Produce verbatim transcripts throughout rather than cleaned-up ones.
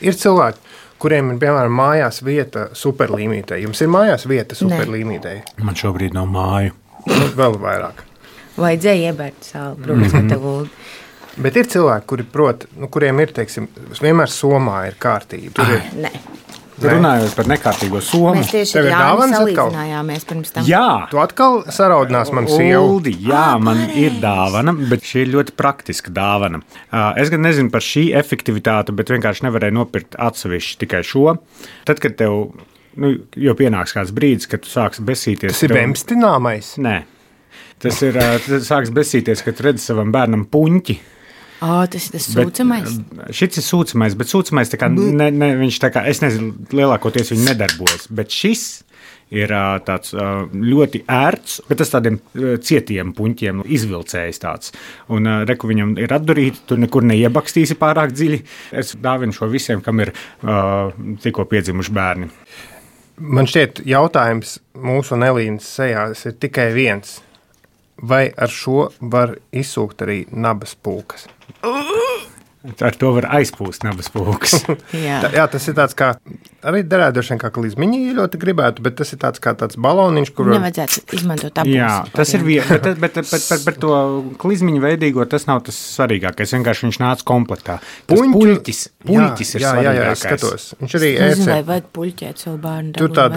Ir cilvēki, kuriem ir, piemēram, mājās vieta superlīmītei. Jums ir mājās vieta superlīmītei? Man šobrīd nav māju. Nu, vēl vairāk. Vajadzēja iebērt sāli, protams, mm-hmm. tev Uldi. Bet ir cilvēki, kuri prot, nu, kuriem ir, teiksim, vienmēr somā ir kārtība. Tur ir... Nē. Runājot par nekārtīgo somu. Mēs tieši ar Jāni salīdzinājāmies pirms tam. Jā. Tu atkal saraudinās man sievu. Uldi, jā, man ir dāvana, bet šī ir ļoti praktiska dāvana. Es gan nezinu par šī efektivitāti, bet vienkārši nevarēju nopirkt atsevišķi tikai šo. Tad, kad tev, nu, jau pienāks kāds brīdis, kad tu sāksi besīties. Tas ir tev... bemstināmais? Nē. Tas ir, tas sāks besīties, kad tu redzi savam bērnam puņķi. Oh, tas ir tas sūcamais. Bet, šis ir sūcamais, bet sūcamais tā kā, ne, ne, viņš tā kā, es nezinu, lielākoties viņi nedarbojas, bet šis ir tāds ļoti ērts, bet tas tādiem cietiem puņķiem izvilcējis tāds. Un reku viņam ir atdurīti, tur nekur neiebakstīsi pārāk dziļi. Es dāvinu šo visiem, kam ir uh, tikko piedzimuši bērni. Man šķiet, jautājums mūsu un Elīnas sejās ir tikai viens. Vai ar šo var izsūkt arī nabas pulkas? Ar to var aizpūst nabas pulkas. jā. Tā, jā, tas ir tāds kā, arī derētu droši vien kā klizmiņi ļoti gribētu, bet tas ir tāds kā tāds baloniņš, kur... Nevajadzētu izmantot abus. Jā, tas ir vien, bet, bet, bet, bet, bet, bet to klizmiņu veidīgo tas nav tas svarīgākais, vienkārši viņš nāca komplektā. Tas Puņķu, puļķis, puļķis jā, ir jā, svarīgākais. Jā, jā, es skatos. Viņš arī es nezinu, ēcē. vai vajag puļķēt savu bērnu Tur tād,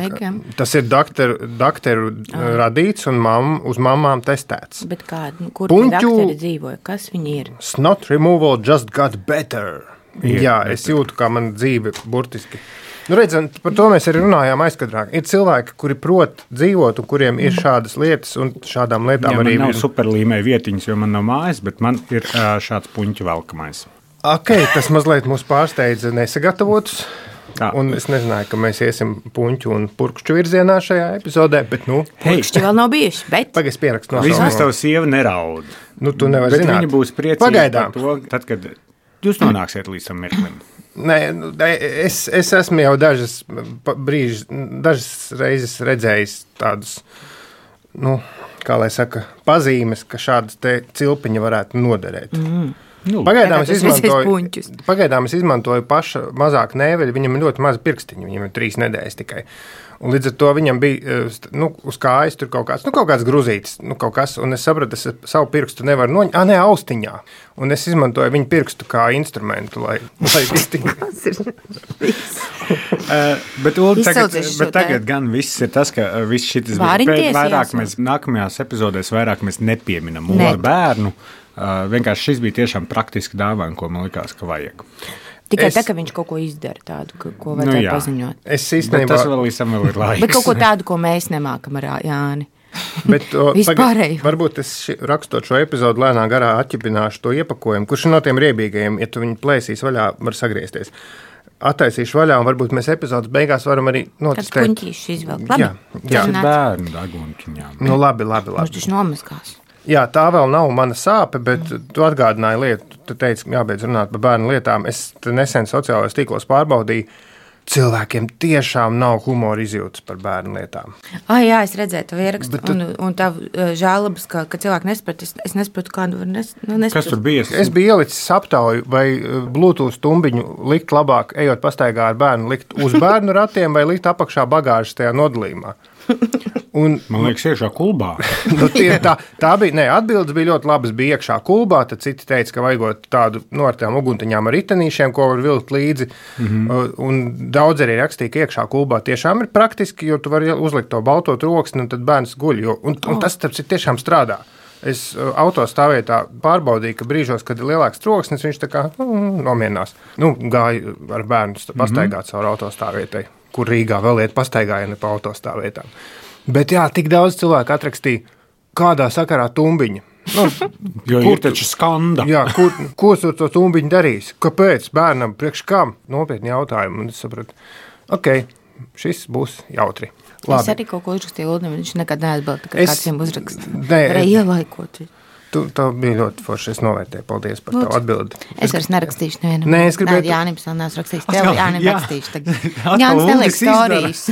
tas ir dakteru, dakteru ah. radīts un mam, uz mamām testēts. Bet kā, kur Puņķu, dakteri dzīvoja? Kas viņi ir? Snot removal just got better. Ir, jā, es jūtu, kā man dzīve burtiski. Nu, redzam, par to mēs arī runājām aizkadrāk. Ir cilvēki, kuri prot dzīvot un kuriem ir šādas lietas un šādām lietām jā, arī... Man nav superlīmēja vietiņas, jo man nav mājas, bet man ir uh, šāds puņķu velkamais. Ok, tas mazliet mūs pārsteidza nesagatavotus. Tā. Un es nezināju, ka mēs iesim puņķu un purkšķu virzienā šajā epizodē, bet nu... Purkšķi vēl nav bijuši, bet... Pagaidz pierakst nosaukumu. Vismaz tavu sieva neraud. Nu, tu nevar bet zināt. Viņa būs priecīga Pagaidām. Par to, tad, kad jūs nonāksiet līdz tam mirklim. Nē, es, es esmu jau dažas brīžas, dažas reizes redzējis tādus, nu, kā lai saka, pazīmes, ka šādas te cilpiņa varētu noderēt. Mm. Nu, pagaidām, es izmantoju, pagaidām es izmantoju paša mazāk nēveļu, viņam ir ļoti maza pirkstiņa, viņam ir trīs nedēļas tikai. Un līdz ar to viņam bija, nu, uz kājas tur kaut kāds, nu, kaut kāds gruzītis, nu, kaut kas, un es sapratu, es savu pirkstu nevaru noņemt, ā, nē, austiņā. Un es izmantoju viņu pirkstu kā instrumentu, lai, lai iztiņu. uh, bet, Ulu, tagad, bet tagad gan viss ir tas, ka viss šitas vairāk mēs, nākamajās epizodēs vairāk mēs nepieminam ne. bērnu. Uh, vienkārši šis bija tiešām praktiski dāvana, ko man likās, ka vajag. Tikai es... tā, ka viņš kaut ko izdara tādu, ko, ko vajadzēja nu, paziņot. Es īstenībā... Bet tas vēl līdzam vēl ir laiks. Bet kaut ko tādu, ko mēs nemākam ar Jāni. Bet o, Vispārēju. Varbūt es ši, rakstot šo epizodu lēnā garā atķipināšu to iepakojumu, kurš no tiem riebīgajiem, ja tu viņu plēsīs vaļā, var sagriezties. Attaisīšu vaļā, un varbūt mēs epizodas beigās varam arī notestēt. Kāds puņķīši izvelk. Labi. Jā, jā. Tas ir bērnu dagunkiņām. Nu, labi, labi, labi. Mums taču nomazgās. Jā, tā vēl nav mana sāpe, bet tu atgādināji lietu, tu teici, jābeidz runāt par bērnu lietām. Es nesen sociālajos tīklos pārbaudīju, cilvēkiem tiešām nav humora izjūtas par bērnu lietām. Ah, jā, es redzēju tavu ierakstu tu... un, un tavu uh, žēlabas, ka, ka cilvēki nesprat. Es, es nesaprotu, kādu var nes, nu, nesprat. Kas tur bija? Es biju ielicis aptauju, vai Bluetooth tumbiņu likt labāk, ejot pastaigā ar bērnu, likt uz bērnu ratiem vai likt apakšā bagāžas tajā nodalījumā. Un, man liekas, iekšā kulbā. nu, tie, tā, tā bija, ne, atbildes bija ļoti labas, bija iekšā kulbā, tad citi teica, ka vajagot tādu, nu, ar tām uguntiņām ar ritenīšiem, ko var vilkt līdzi, mm-hmm. un daudz arī rakstīja, ka iekšā kulbā tiešām ir praktiski, jo tu vari uzlikt to balto troksni, un tad bērns guļ, jo, un, un tas, starp citu, tiešām strādā. Es autostāvvietā pārbaudīju, ka brīžos, kad ir lielāks troksnis, viņš tā kā mm, nomierinās. Nu, gāju ar bērnu pastaigāt mm-hmm. caur autostāvvietai, kur Rīgā vēl iet pastaigājieni pa autostāvvietām. Bet jā, tik daudz cilvēku atrakstīja, kādā sakarā tumbiņa. Nu, jo kur, ir taču skanda. Jā, kur, ko tu to tumbiņu darīs? Kāpēc? Bērnam priekš kam? Nopietni jautājumu. Un es sapratu, ok, šis būs jautri. Labi. Es arī kaut ko uzrakstīju Uldim, viņš nekad neatbalda, ka es, kāds viņam uzraksta. Ne, Varēja ielaikot. Tu, tā bija ļoti forši. Es novērtēju. Paldies par tavu atbildi. Es vairs nerakstīšu nevienam. Nē, es gribētu... Nē, Jānis vēl neesmu rakstījis. Tev Jānim jā. rakstīšu tagad. Jānis neliek storijas.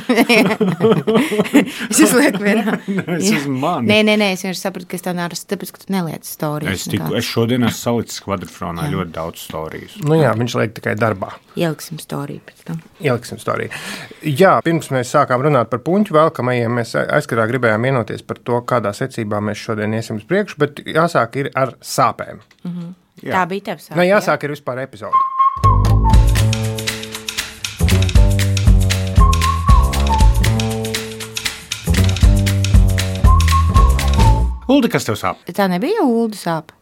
Es uzlieku vienā. Es esmu mani. Nē, nē, nē, es vienkārši sapratu, ka es tā nāras, tāpēc, ka tu neliec storijas. Es, tiku, es šodien esmu salicis kvadrfronā ļoti daudz storijas. Nu jā, viņš liek tikai darbā. Ieliksim storiju pēc tam. Ieliksim storiju. Jā, pirms mēs sākām runāt par puņķu velkamajiem, mēs aizkarā gribējām vienoties par to, kādā secībā mēs šodien iesim uz priekšu, bet jāsāk ir ar sāpēm. Mhm. Jā. Tā bija tev sāpe. Nē, jāsāk ir vispār epizode. Uldi, kas tev sāp? Tā nebija Ulda sāpe.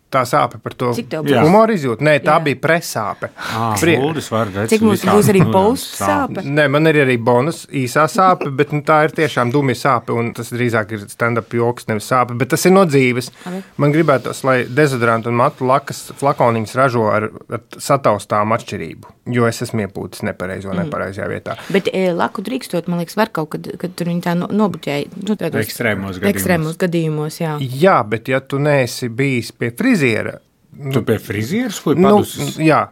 Tā sāpe par to Cik tev būs? humoru izjūt? Nē, tā Jā. bija presāpe. Ah, Prie- Uldis var redzēt. Cik mums būs arī posts sāpe? Nē, man ir arī bonus īsā sāpe, bet nu, tā ir tiešām dumja sāpe, un tas drīzāk ir stand-up joks, nevis sāpe, bet tas ir no dzīves. Labi. Man gribētos, lai dezodorantu un matu lakas flakoniņus ražo ar, ar sataustām atšķirību, jo es esmu iepūtis nepareizo, mm. nepareizajā vietā. Bet e, laku drīkstot, man liekas, var kaut kad, kad tur viņi tā no, nobuķēja. Nu, tādos Ekstrēmos gadījumos. Ekstrēmos gadījumos, jā. Jā, bet ja tu neesi bijis pie friziera, Tu pie frizieras vai nu, padusis? jā,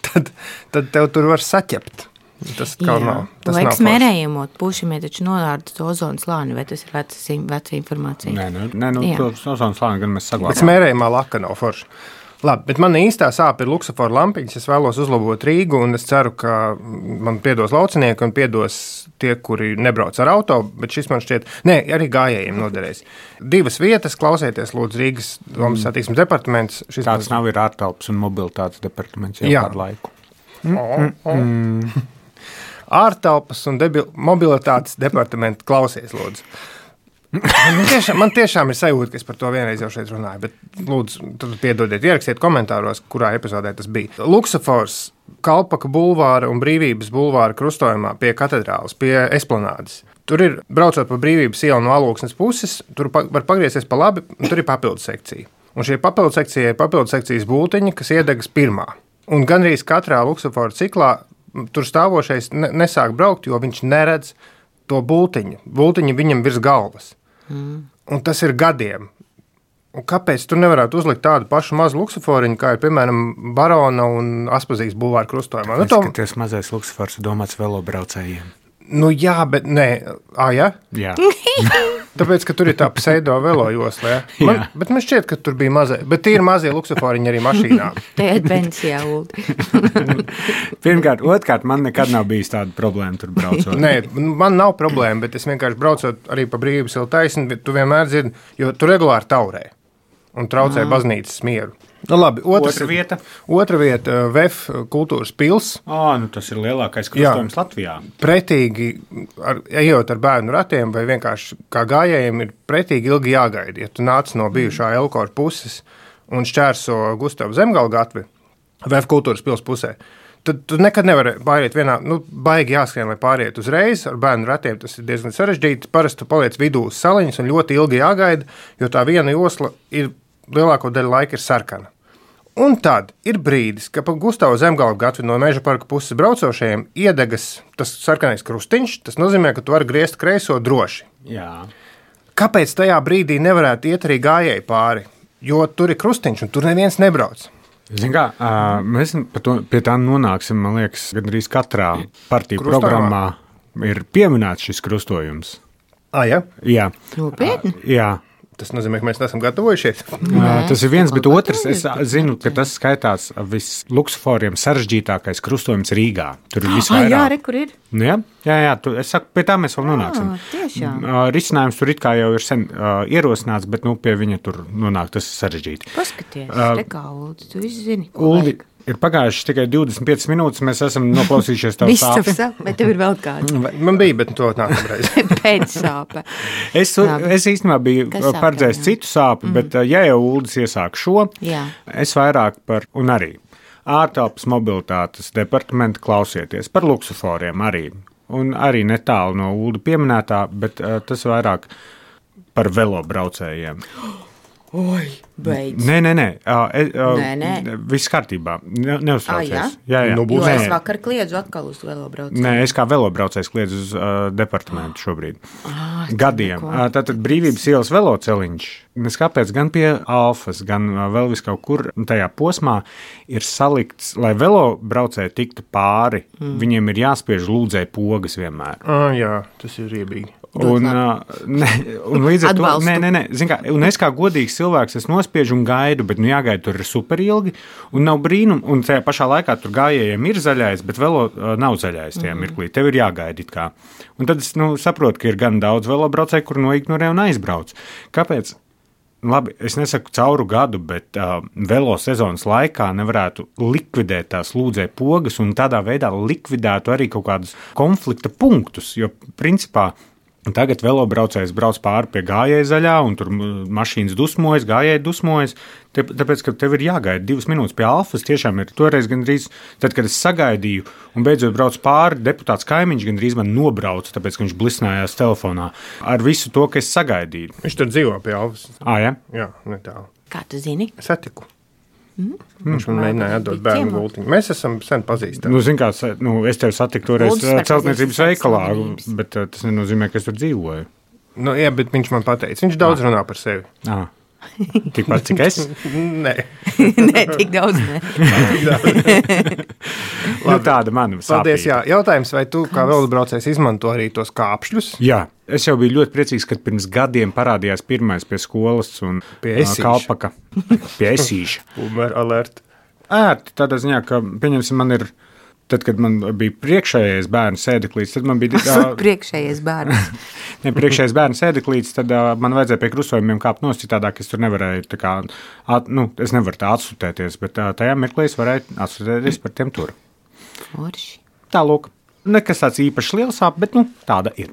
tad, tad tev tur var saķept. Tas kaut nav. Tas nav Laiks forši. mērējumot, pušamie taču nolārda to ozonu slāni, vai tas ir veca, veca informācija? Nē, nu, nē, nu, Jā. to ozonu slāni gan mēs Bet saglabājam. smērējumā laka nav forša. Labi, bet man īstā sāpe ir luksofora lampiņas. Es vēlos uzlabot Rīgu, un es ceru, ka man piedos laucinieki un piedos tie, kuri nebrauc ar auto, bet šis man šķiet, nē, arī gājējiem noderēs. Divas vietas, klausieties, lūdzu, Rīgas domas satiksmes departaments. Šis Tāds nav ir ārtelpas un mobilitātes departaments jau Jā. kādu laiku. Mm. Ārtelpas un debil, mobilitātes departamenta klausies, lūdzu. Man tiešām, man tiešām ir sajūta, ka es par to vienreiz jau šeit runāju, bet lūdzu, tad piedodiet, ierakstiet komentāros, kurā epizodē tas bija. Luksofors, Kalpaka bulvāra un Brīvības bulvāra krustojumā pie katedrāles, pie esplanādes. Tur ir, braucot pa Brīvības ielu no Alūksnes puses, tur pa, var pagriezties pa labi, un tur ir papildu sekcija. Un šie papildu sekcija ir papildu sekcijas bultiņi, kas iedegas pirmā. Un gandrīz katrā luksofora ciklā tur stāvošais ne, nesāk braukt, jo viņš neredz to bultiņu. Bultiņi viņam virs galvas. Mm. Un tas ir gadiem. Un kāpēc tu nevarētu uzlikt tādu pašu mazu luksoforiņu, kā ir, piemēram, Barona un Aspazijas bulvāra krustojumā? Nu, to... Skaties, mazais luksofors ir domāts velobraucējiem. nu jā, bet nē, ā, jā? Jā. Tāpēc, ka tur ir tā pseido velo josla, ja? Man, bet man šķiet, ka tur bija mazie, bet tie ir mazie luksoforiņi arī mašīnā. Te ir pensijā, Uldi. Pirmkārt, otrkārt, man nekad nav bijis tāda problēma tur braucot. Nē, man nav problēma, bet es vienkārši braucot arī pa Brīvības ielu taisni, tu vienmēr dzirdi, jo tu regulāri taurē un traucē mm. baznīcas mieru. Nu, labi, otrs, Otra vieta? Otra vieta – V E F kultūras pils. Ā, nu tas ir lielākais krustojums Latvijā. Pretīgi, ar, ejot ar bērnu ratiem vai vienkārši kā gājējiem, ir pretīgi ilgi jāgaida. Ja tu nāc no bijušā Elkora puses un šķērso Gustavu Zemgala gatvi V E F kultūras pils pusē, tad tu nekad nevari pāriet vienā, nu, baigi jāskrien, lai pāriet uzreiz ar bērnu ratiem. Tas ir diezgan sarežģīti. Parasti tu paliec vidū uz saliņas un ļoti ilgi jāgaida, jo tā viena josla ir lielāko daļu laika ir sarkana. Un tad ir brīdis, ka pa Gustavu Zemgala gatvi no Meža parka puses braucošajiem iedegas tas sarkanais krustiņš. Tas nozīmē, ka tu vari griezt kreiso droši. Jā. Kāpēc tajā brīdī nevarētu iet arī gājēji pāri? Jo tur ir krustiņš un tur neviens nebrauc. Zin kā, uh, mēs to, pie tā nonāksim, man liekas, gandrīz katrā partiju Krustojumā. programmā ir pieminēts šis krustojums. Ah, ja? Jā. Nopietni? Uh, jā. Tas nozīmē, ka mēs neesam gatavojušies. Nē, tas ir viens, bet otrs, es gatavojies. zinu, ka tas skaitās visluksusforiem sarežģītākais krustojums Rīgā. Tur ir Ah, jā, visvairāk. re, kur ir? Nu, jā, jā, jā tu, es saku, pie tā mēs vēl nonāksim. Ah, tiešām. Uh, risinājums tur it kā jau ir sen uh, ierosināts, bet nu, pie viņa tur nonāk tas sarežģīti. Paskaties, Uh, te kā, Uldi, tu visu zini, ko Uldi, vajag. ir pagājuši tikai divdesmit piecas minūtes, mēs esam noklausījušies tavu Viss sāpi. tavu sāp, vai tev ir vēl kāda? Man bija, bet to nākamreiz. Pēc sāpe. Es, Labi. es īstenībā biju Kas sāp paredzējis tev, jā? citu sāpi, mm. bet uh, ja jau Uldis iesāk šo, Jā. es vairāk par, un arī ārtelpas mobilitātes departamenta klausieties par luksuforiem arī. Un arī netālu no Ulda pieminētā, bet uh, tas vairāk par velobraucējiem. Oi, beidz. Nē, nē, nē. Uh, uh, Nē, nē. Viss kārtībā. Ne, neuztraucies. Ah, jā, jā. Nu, Jo Nē. es vakar kliedzu atkal uz velobraucienu. Nē, es kā velobraucējs kliedzu uz uh, departamentu šobrīd. Ah, Gadiem. neko. Uh, Tātad brīvības ielas veloceliņš. Nes kāpēc gan pie Alfas, gan uh, vēl vis kaut kur tajā posmā ir salikts, lai velobraucēji tiktu pāri, mm. viņiem ir jāspiež lūdzēji pogas vienmēr. Ah, jā, tas ir riebīgi. Un, uh, ne, un līdz ar to, Atbalstu. nē, nē, nē, zin kā, un es kā godīgs cilvēks, es nospiežu un gaidu, bet nu jāgaida tur ir super ilgi, un nav brīnum, un tajā pašā laikā tur gājējiem ir zaļais, bet velo uh, nav zaļais tajā mm. mirklī, tev ir jāgaida it kā. Un tad es nu, saprotu, ka ir gan daudz velobraucēju, kur noignorē un aizbrauc. Kāpēc? Labi, es nesaku cauru gadu, bet uh, velo sezonas laikā nevarētu likvidēt tās lūdzēju pogas un tādā veidā likvidētu arī kaut kādus konflikta punktus, jo principā tagad velobraucējs brauc pāri pie gājēja zaļā, un tur mašīnas dusmojas, gājēji dusmojas, te, tāpēc, ka tev ir jāgaida divas minūtes pie Alfas, tiešām ir toreiz gandrīz, tad, kad es sagaidīju, un beidzot brauc pāri, deputāts kaimiņš gandrīz man nobrauca, tāpēc, ka viņš blisnājās telefonā ar visu to, ka es sagaidīju. Viņš tur dzīvo pie Alfas. Ā, ja? Jā, netālu. Kā tu zini? Satiku. Mm. Viņš man mēģināja atdot bērnu gultiņu. Mēs esam sen pazīstami. Nu, zin kā, nu, es tevi satiku toreiz Lūdzu, par celtniecības pazīstams veikalā, slavenības. bet uh, tas nenozīmē, ka es tur dzīvoju. Nu, jā, bet viņš man pateica. Viņš daudz runā par sevi. Ā. Tikpat, cik es? Nē. Nē, tik daudz ne. Nu, tāda mana Paldies, sāpīga. jā. Jautājums, vai tu kā velobraucējs izmanto arī tos kāpšļus? Jā, es jau biju ļoti priecīgs, kad pirms gadiem parādījās pirmais pie skolas un Pie ā, Esīša. Kalpaka. Pie Esīša. Uber alert. Ērti tādā ziņā, ka, pieņemsim, man ir, tad, kad man bija priekšējais bērnu sēdeklīts, tad man bija... ā, Priekšējais bērns. Ne, priekšējais bērnu sēdeklīts, tad uh, man vajadzēja pie krustojumiem kāpt nost, citādāk es tur nevarēju, tā kā, at, nu, es nevaru tā atsūtēties, bet uh, tajā mirklī es varēju atsūtēties par tiem tur. Forši. Tā, lūk, nekas tāds īpaši liels sāp, bet, nu, tāda ir.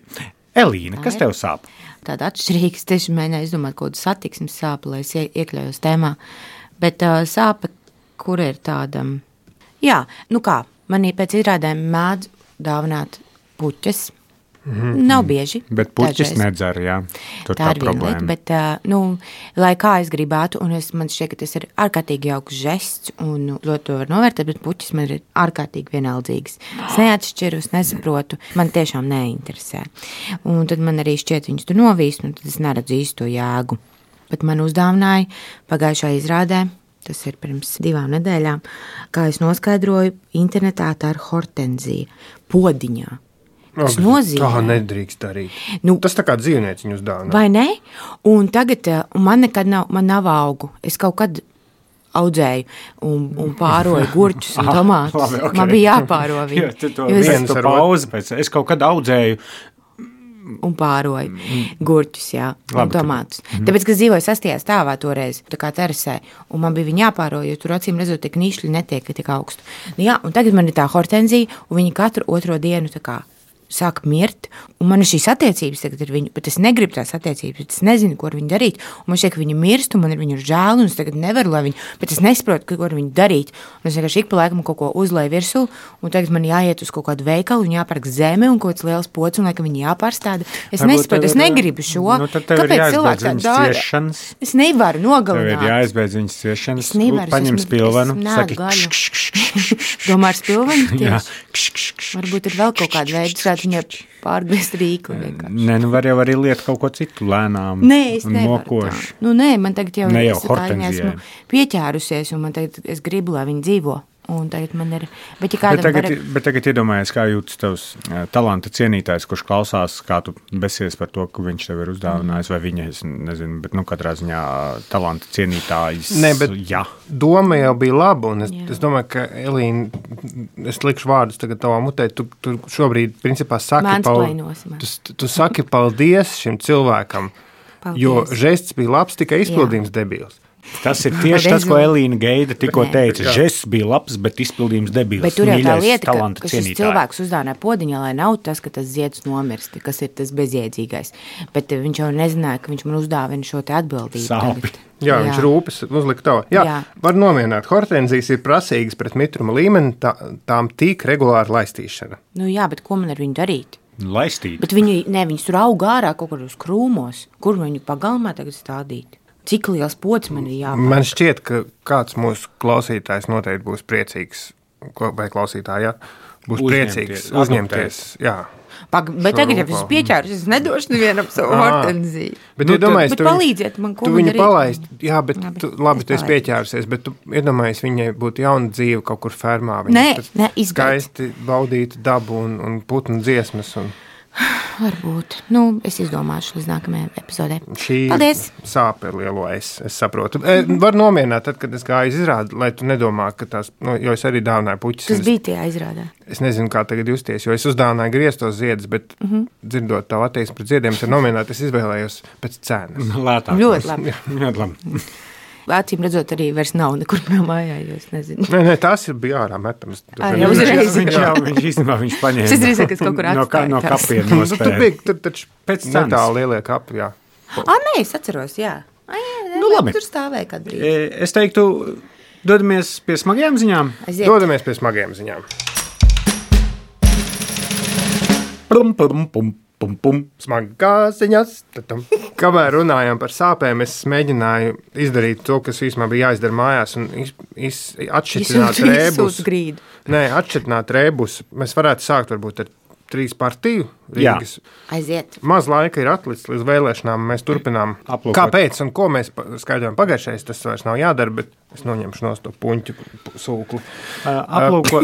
Elīna, kas tev sāp? Tāda atšķirīga, es tieši mēģināju izdomāt kaut kādu satiksmes sāpu, lai es ie- iekļaujos tēmā. Bet uh, sāpe, kur ir tāda, jā, nu kā, manī pēc izrādēm mēdz dāvināt puķes. Mm-hmm. Nav bieži. Bet puķis dažreiz. nedzer, jā. Tur Tā tā, ir viena problēma. lieta, bet, uh, nu, lai kā es gribētu, un es, man šķiet, ka tas ir ārkārtīgi jauks žests, un nu, ļoti to var novērtēt, bet puķis man ir ārkārtīgi vienaldzīgs. Es neatšķiru, es nesaprotu, man tiešām neinteresē. Un tad man arī šķiet viņus tur novīst, un tad es neredzu īsto jēgu. Bet man uzdāvināja pagājušā izrādē, tas ir pirms divām nedēļām, kā es noskaidroju, internetā tā ir hortenzija, podiņā. Tas nozīmē. Tā nedrīkst darīt. Nu, Tas tā kā dzīvnieciņu uzdāvina. vai ne? Un tagad uh, un man nekad nav, man nav augu. Es kaut kad audzēju un, un pāroju gurķus un tomātus. Labi, okay. Man bija jāpāro viņi. Jā, tu to jo es viens ar pauzi pēc. Es kaut kad audzēju. un pāroju gurķus, jā, un Labi, tu- tomātus. Tāpēc, ka es dzīvoju sastajā stāvā toreiz, tā kā terasē, un man bija viņi jāpāro, jo tur acīm redzot, tie knīšļi netiek tik augstu. Nu, jā, un tagad man ir tā hortenzija, un viņi katru otro dienu tā kā sāk mirt, un man ir šīs attiecības tagad ar viņu, bet es negribu tās attiecības, bet es nezinu, ko ar viņu darīt, un man šķiet, ka viņi mirst, un man ir viņu žēl, un es tagad nevaru, lai viņu, bet es nesaprotu, ko ar viņu darīt, un es vienkārši ik pa laikam kaut ko uzlēju virsū, un tagad man jāiet uz kaut kādu veikalu, un jāpērk zeme, un kaut kāds liels pods, un laikam viņi jāpārstāda. Es Varbūt nesaprotu, es tev ir- negribu šo. Nu, tad tev ir Kāpēc jāizbeidz cilvēki tā viņas dara? ciešanas. Es nevaru Tev ir nogalināt. jāizbeidz viņas ciešanas. Es nevaru, es Paņem esmu- spilvenu. es Saki, neēdu gaļu. kš, kš, kš, kš, kš. Domā ar spilvenu Jā. tieši? Varbūt ir vēl kaut kāda veida, kā viņai pārgriezt rīkli vienkārši. Nē, nu var jau arī liet kaut ko citu lēnām. Nē, es un nevaru tā. mokoši. Nu, nē, man tagad jau Ne jau es tā kā viņai hortenzijai. esmu pieķērusies, un man tagad es gribu, lai viņi dzīvo. Un tagad man ir, bet ja Bet kādam tagad, var... bet tagad iedomājies, kā jūtas tavs eh, talanta cienītājs, kurš klausās, kā tu besies par to, ka viņš tev ir uzdāvinājis, vai viņa, es nezinu, bet, nu, katrā ziņā talanta cienītājs. Nē, bet jā. doma jau bija laba, un es, Jā. es domāju, ka Elīna, es likšu vārdus tagad tavā mutē, tu, tu šobrīd, principā, saki, Mansplainosi man. tu, tu saki paldies šim cilvēkam, Paldies. jo žests bija labs, tikai izpildījums debils. Tas ir tieši tas, ko Elīna Geida tikko Nē. teica. Žests bija labs, bet izpildījums debils. Bet tur jau tā Mīļais lieta, ka, talanta ka šis cienītāji. cilvēks uzdāvināja podiņā, lai nav tas, ka tas zieds nomirst, kas ir tas bezjēdzīgais. Bet eh, viņš jau nezināja, ka viņš man uzdāvina šo te atbildību. Sāpi. tagad. Jā, viņš rūpes uzlika to. Jā, Jā. var nomierināt. Hortenzijas ir prasīgas pret mitruma līmeni, tā, tām tīk regulāri laistīšana. Nu jā, bet ko man ar viņu darīt? Laistīt. Bet viņi, ne, viņus tur aug ārā kaut kur uz krūmos. Kur viņu pagalmā tagad stādīt? Cik liels pods man ir jāpār? Man šķiet, ka kāds mūsu klausītājs noteikti būs priecīgs, vai klausītāji, ja, būs Uzņemties, priecīgs uzņemties. Jā. Pag, bet tagad, ja es pieķēru, es nedošu nevienam savu hortenziju. Bet, Nu, iedomājies, bet tu, palīdziet man, ko tu man viņu darīt. palaist. Jā, bet Labi, tu, labi, es tu esi palaidu. pieķērusies, bet tu iedomājies, viņai būtu jauna dzīve kaut kur fermā. Viņa Nē, tad nē, izbeidz. skaisti baudītu dabu un, un putnu dziesmas. Un Varbūt. Nu, es izdomāšu līdz nākamajai epizodē. šī Paldies! sāpe ir lielo es, es saprotu. E, var nomierināt, tad, kad es gāju uz izrādi, lai tu nedomā, ka tās, nu, jo es arī dāvināju puķis. Tas un es- bija tajā izrādē. Es nezinu, kā tagad justies, jo es uzdāvināju grieztos ziedus, bet mm -hmm. dzirdot tavu attieksmi pret ziediem, ir nominēta, es izvēlējos pēc cenas. Lētāk. Ļoti labi. Ļoti labi. Acīm redzot, arī vairs nav nekur mājā, jo es nezinu. Nē, nē, tās ir bija ārā metams. Ā, jau uzreiz. Viņš jau, viņš īstenībā, viņš paņēma. Es drīzāk, ka es kaut kur no, ka, atstāju no tās. kapiem Nu, tur nospēja. bija, tur taču Pēc cenas. netālu lielie kapi, jā. Ah, nē, es atceros, jā. Ai, jā, Nu, labi. Tur stāvēja kādu brīdi. E, Es teiktu, dodamies pie smagajām ziņām. Aiziet. Dodamies pie smagiem ziņām. Pum, pum, pum, pum, pum. Smagās ziņas. Tatam. Kamēr runājām par sāpēm, es mēģināju izdarīt to, kas īstenībā bija jāizdara mājās, un iz, iz, atšķitināt rēbus. Izsūtu grīdu. Nē, atšķitināt rēbus. Mēs varētu sākt varbūt ar trīs partiju Rīgas. Aiziet. Maz laika ir atlicis līdz vēlēšanām. Mēs turpinām. Aplūkot. Kāpēc un ko mēs pa- skaidrojam pagājušajā? Tas vairs nav jādara, bet es noņemšu no to puņķu sūkli. Uh, Aplūko,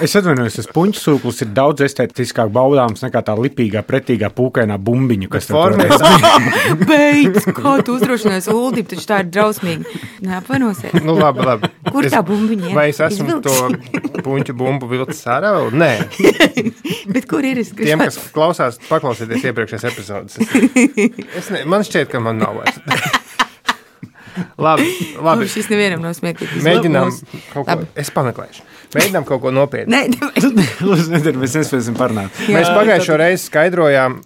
es atvainojos, tas puņu sūklis ir daudz estētiskāk baudāms nekā tā lipīgā, pretīgā, pūkainā bumbiņa, kas tev Formē- toreiz- Beidz, kā tu uzdrošinājies Uldim, taču tā ir drausmīgi. Neapvainosies. Nu, labi, labi. Kur tā bumbiņa ir? Vai es esmu Izvilksi? to puņķu bumbu vilcis ārā? vēl? Nē. Bet kur ir es? Tiem, kas klausās, paklausieties iepriekšējās epizodes. Es, es ne, man šķiet, ka man nav vairs. labi, labi. Labi. Šis nevienam nav smieklīgs. Mēģinām Mums- kaut ko, Labi. es pameklēšu. Mēģinām kaut ko nopietnu. Nē, nē. Lūdzu, nedara, mēs nespēsim parunāt. Mēs pagājušo reizi skaidrojām,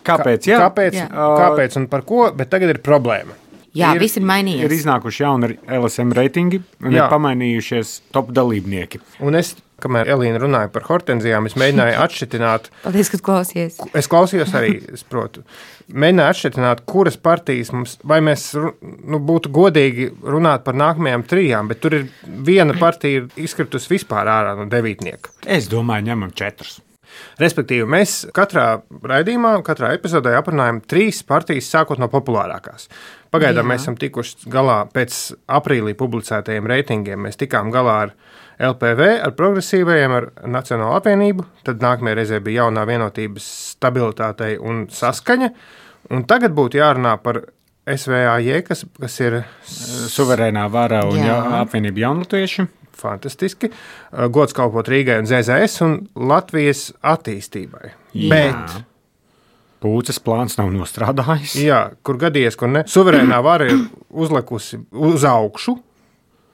Kāpēc? Jā. kāpēc, Jā. kāpēc un par ko, bet tagad ir problēma. Jā, Ir- viss ir mainījies. Ir iznākuši jauni L S M reitingi un Jā. ir pamainījušies top dalībnieki. Un es, kamēr Elīna runāja par hortenzijām, es mēģināju atšķitināt. Paldies, ka klausies. Es klausījos arī, es protu. Mēģināju atšķirt, kuras partijas mums, vai mēs ru- nu, būtu godīgi runāt par nākamajām trijām, bet tur ir viena partija ir izkritusi vispār ārā no devītnieka. Es domāju, ņemam četrus. Respektīvi, mēs katrā raidījumā, katrā epizodē aprunājam trīs partijas, sākot no populārākās. Pagaidām Jā. mēs esam tikuši galā pēc aprīlī publicētajiem reitingiem. Mēs tikām galā ar L P V, ar progresīvajiem, ar Nacionālo apvienību. Tad nākamajā reizē bija jaunā vienotības stabilitātei un saskaņa. Un tagad būtu jārunā par S V A J, kas, kas ir Suverēnā vara un Jā. ja, apvienība jaunatvieši. fantastiski. Gods kalpot Rīgai un Z Z S un Latvijas attīstībai. Bet, Pūces plāns nav nostrādājis. jā, kur gadījies, kur ne, suverēnā vara ir uzlikusi uz augšu,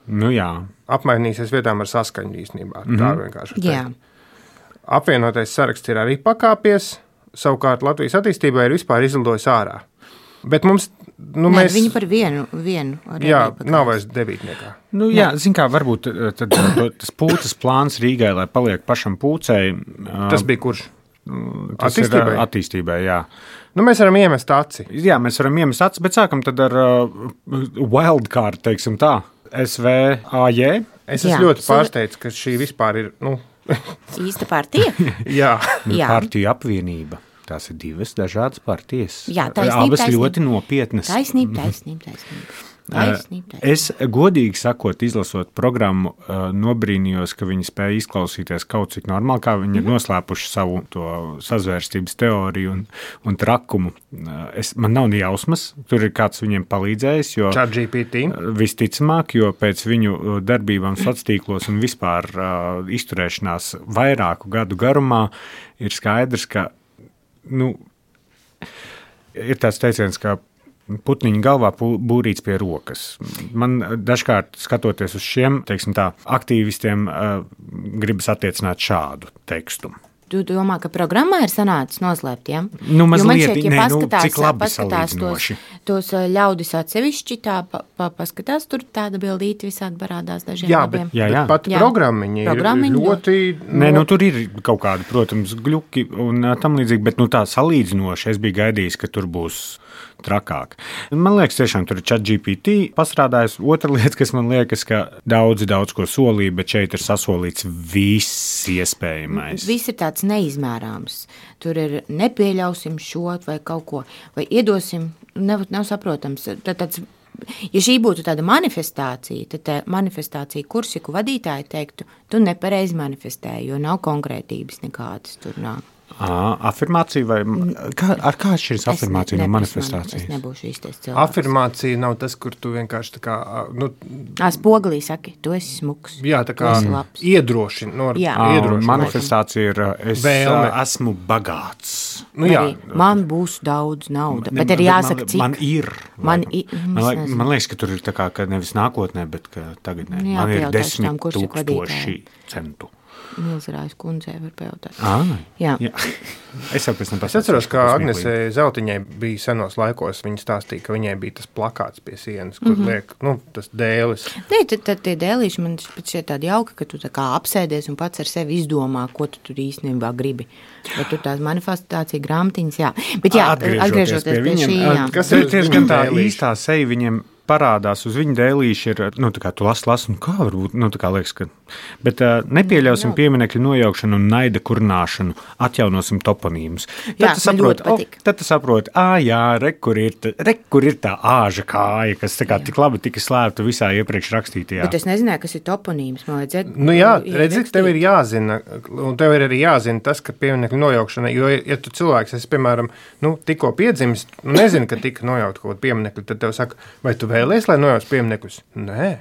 Nu jā. apmainīsies vietām ar saskaņu īstenībā. Mm -hmm. Tā vienkārši var Jā. teikt. Apvienotais saraksts ir arī pakāpies, savukārt Latvijas attīstībai ir vispār izlidojis ārā. Bet mums, nu, Nē, mēs, viņi par vienu, vienu arī jā, bija nav pakāpes. vairs devītniekā. Nu, jā, zin kā, varbūt eh, tad, to- tas pūces plāns Rīgai, lai paliek pašam pūcei. eh, Tas bija kurš? tas ir, eh, attīstībai? Attīstībai, jā. Nu, mēs varam iemest aci. Jā, mēs varam iemest acis, bet sākam tad ar uh, wildcard, teiksim tā, S V A J. Es Jā, esmu ļoti suver- pārsteigts, ka šī vispār ir, nu, Īsta partija? jā. Jā. Partiju apvienība. Tās ir divas dažādas partijas. Jā, taisnība, Abas taisnība. ļoti nopietnas. Taisnība, taisnība, taisnība. Taisnība, taisnība. Es godīgi sakot, izlasot programmu, uh, nobrīnījos, ka viņi spēja izklausīties kaut cik normāli, kā viņi ir noslēpuši savu to sazvērstības teoriju un, un trakumu. Uh, Es, man nav ne jausmas, tur ir kāds viņiem palīdzējis, jo ChatGPT. visticamāk, jo pēc viņu darbībām sociālos tīklos un vispār uh, izturēšanās vairāku gadu garumā ir skaidrs, ka nu, ir tāds teiciens, ka putniņa galvā pū- būrīts pie rokas. Man dažkārt skatoties uz šiem, teiksim tā, aktīvistiem, uh, gribas attiecināt šādu tekstu. Tu domā, ka programmā ir sanācis noslēpt, ja? Nu, Jo man mazliet, šķiet, ja nē, nu, paskatās, cik labi paskatās tos, salīdzinoši. tos ā, ļaudis atsevišķi, tā pa, pa, paskatās, tur tāda bildīte visādi parādās dažiem Jā, labiem. bet, Jā, jā. bet pat Jā. programmiņa ir Programmiņa ļoti. Nē, nu, tur ir kaut kādi, protams, gluki un ā, tam līdzīgi, bet nu, tā salīdzinoši es biju gaidījis, ka tur būs trakāk. Man liekas, tiešām tur ir ChatGPT pastrādājis. Otra lieta, kas man liekas, ka daudzi daudz ko solīja, bet šeit ir sasolīts viss iespējamais. Viss ir tāds neizmērāms. Tur ir nepieļausim šo vai kaut ko, vai iedosim, nav, nav saprotams. Tad tāds, ja šī būtu tāda manifestācija, tad tā manifestācija kursiku vadītāji teiktu, tu nepareizi manifestēji, jo nav konkrētības nekādas tur nav. À, afirmācija vai kā, ar kā atšķiras afirmācija no manifestācijas? Es nebūšu īstais cilvēks. Afirmācija nav tas, kur tu vienkārši tā kā, nu, Ā, spoglī saki, tu esi smuks. jā, tā kā iedrošina, no, Jā. iedrošina. Manifestācija ir, es Vēlme. esmu bagāts. Nu, jā, Arī man būs daudz nauda, bet ir jāsaka, man, cik. Man ir. Man i- man, es liek, nezinu. man liekas, ka tur ir tā kā, ka nevis nākotnē, bet ka tagad ne. Jā, Man ir pajautāšu desmit tām kursiku tūkstoši centu. Milzerājas kundzei var pajautāt. À, Jā. jā. Es jau pēc tam Es atceros, ka Agnesei Zeltiņai bija senos laikos, viņa stāstīja, ka viņai bija tas plakāts pie sienas, kur Mhm. liek, nu, tas dēlis. Nē, tad, tad tie dēlīši man šķiet tādi jauki, ka tu tā kā apsēdies un pats ar sevi izdomā, ko tu tur īstenībā gribi. Bet tu tās manifestācija grāmatiņas, jā. Bet jā, atgriežoties pie, pie šī, jā. Kas Tur ir diezgan viņu tā dēlīši? īstā seja viņiem parādās uz viņa dēlīša ir, nu, tā kā tu lasi, lasi, un kā varbūt, nu, tā kā liekas, ka, bet uh, nepieļausim pieminekļu nojaukšanu un naida kurnāšanu, atjaunosim toponīmus. Tad Jā, tu man saproti, ļoti patīk. o, tad tu saproti, ā, jā, re, kur ir, ta, re, kur ir tā āža kāja, kas tā kā tik labi tika slēpta visā iepriekš rakstītajā. Bet es nezināju, kas ir toponīms. Man vajadzēja. Nu jā, redzi, tev ir jāzina, un tev ir arī jāzina tas, ka pieminekļu nojaukšana, jo, ja tu cilvēks, esi, piemēram, nu, tikko piedzimis, nu, nezini, ka tika nojaukt kaut kādu pieminekļu, tad tev saka, vai tu vēlies, lai nojauc pieminekļus? Nē.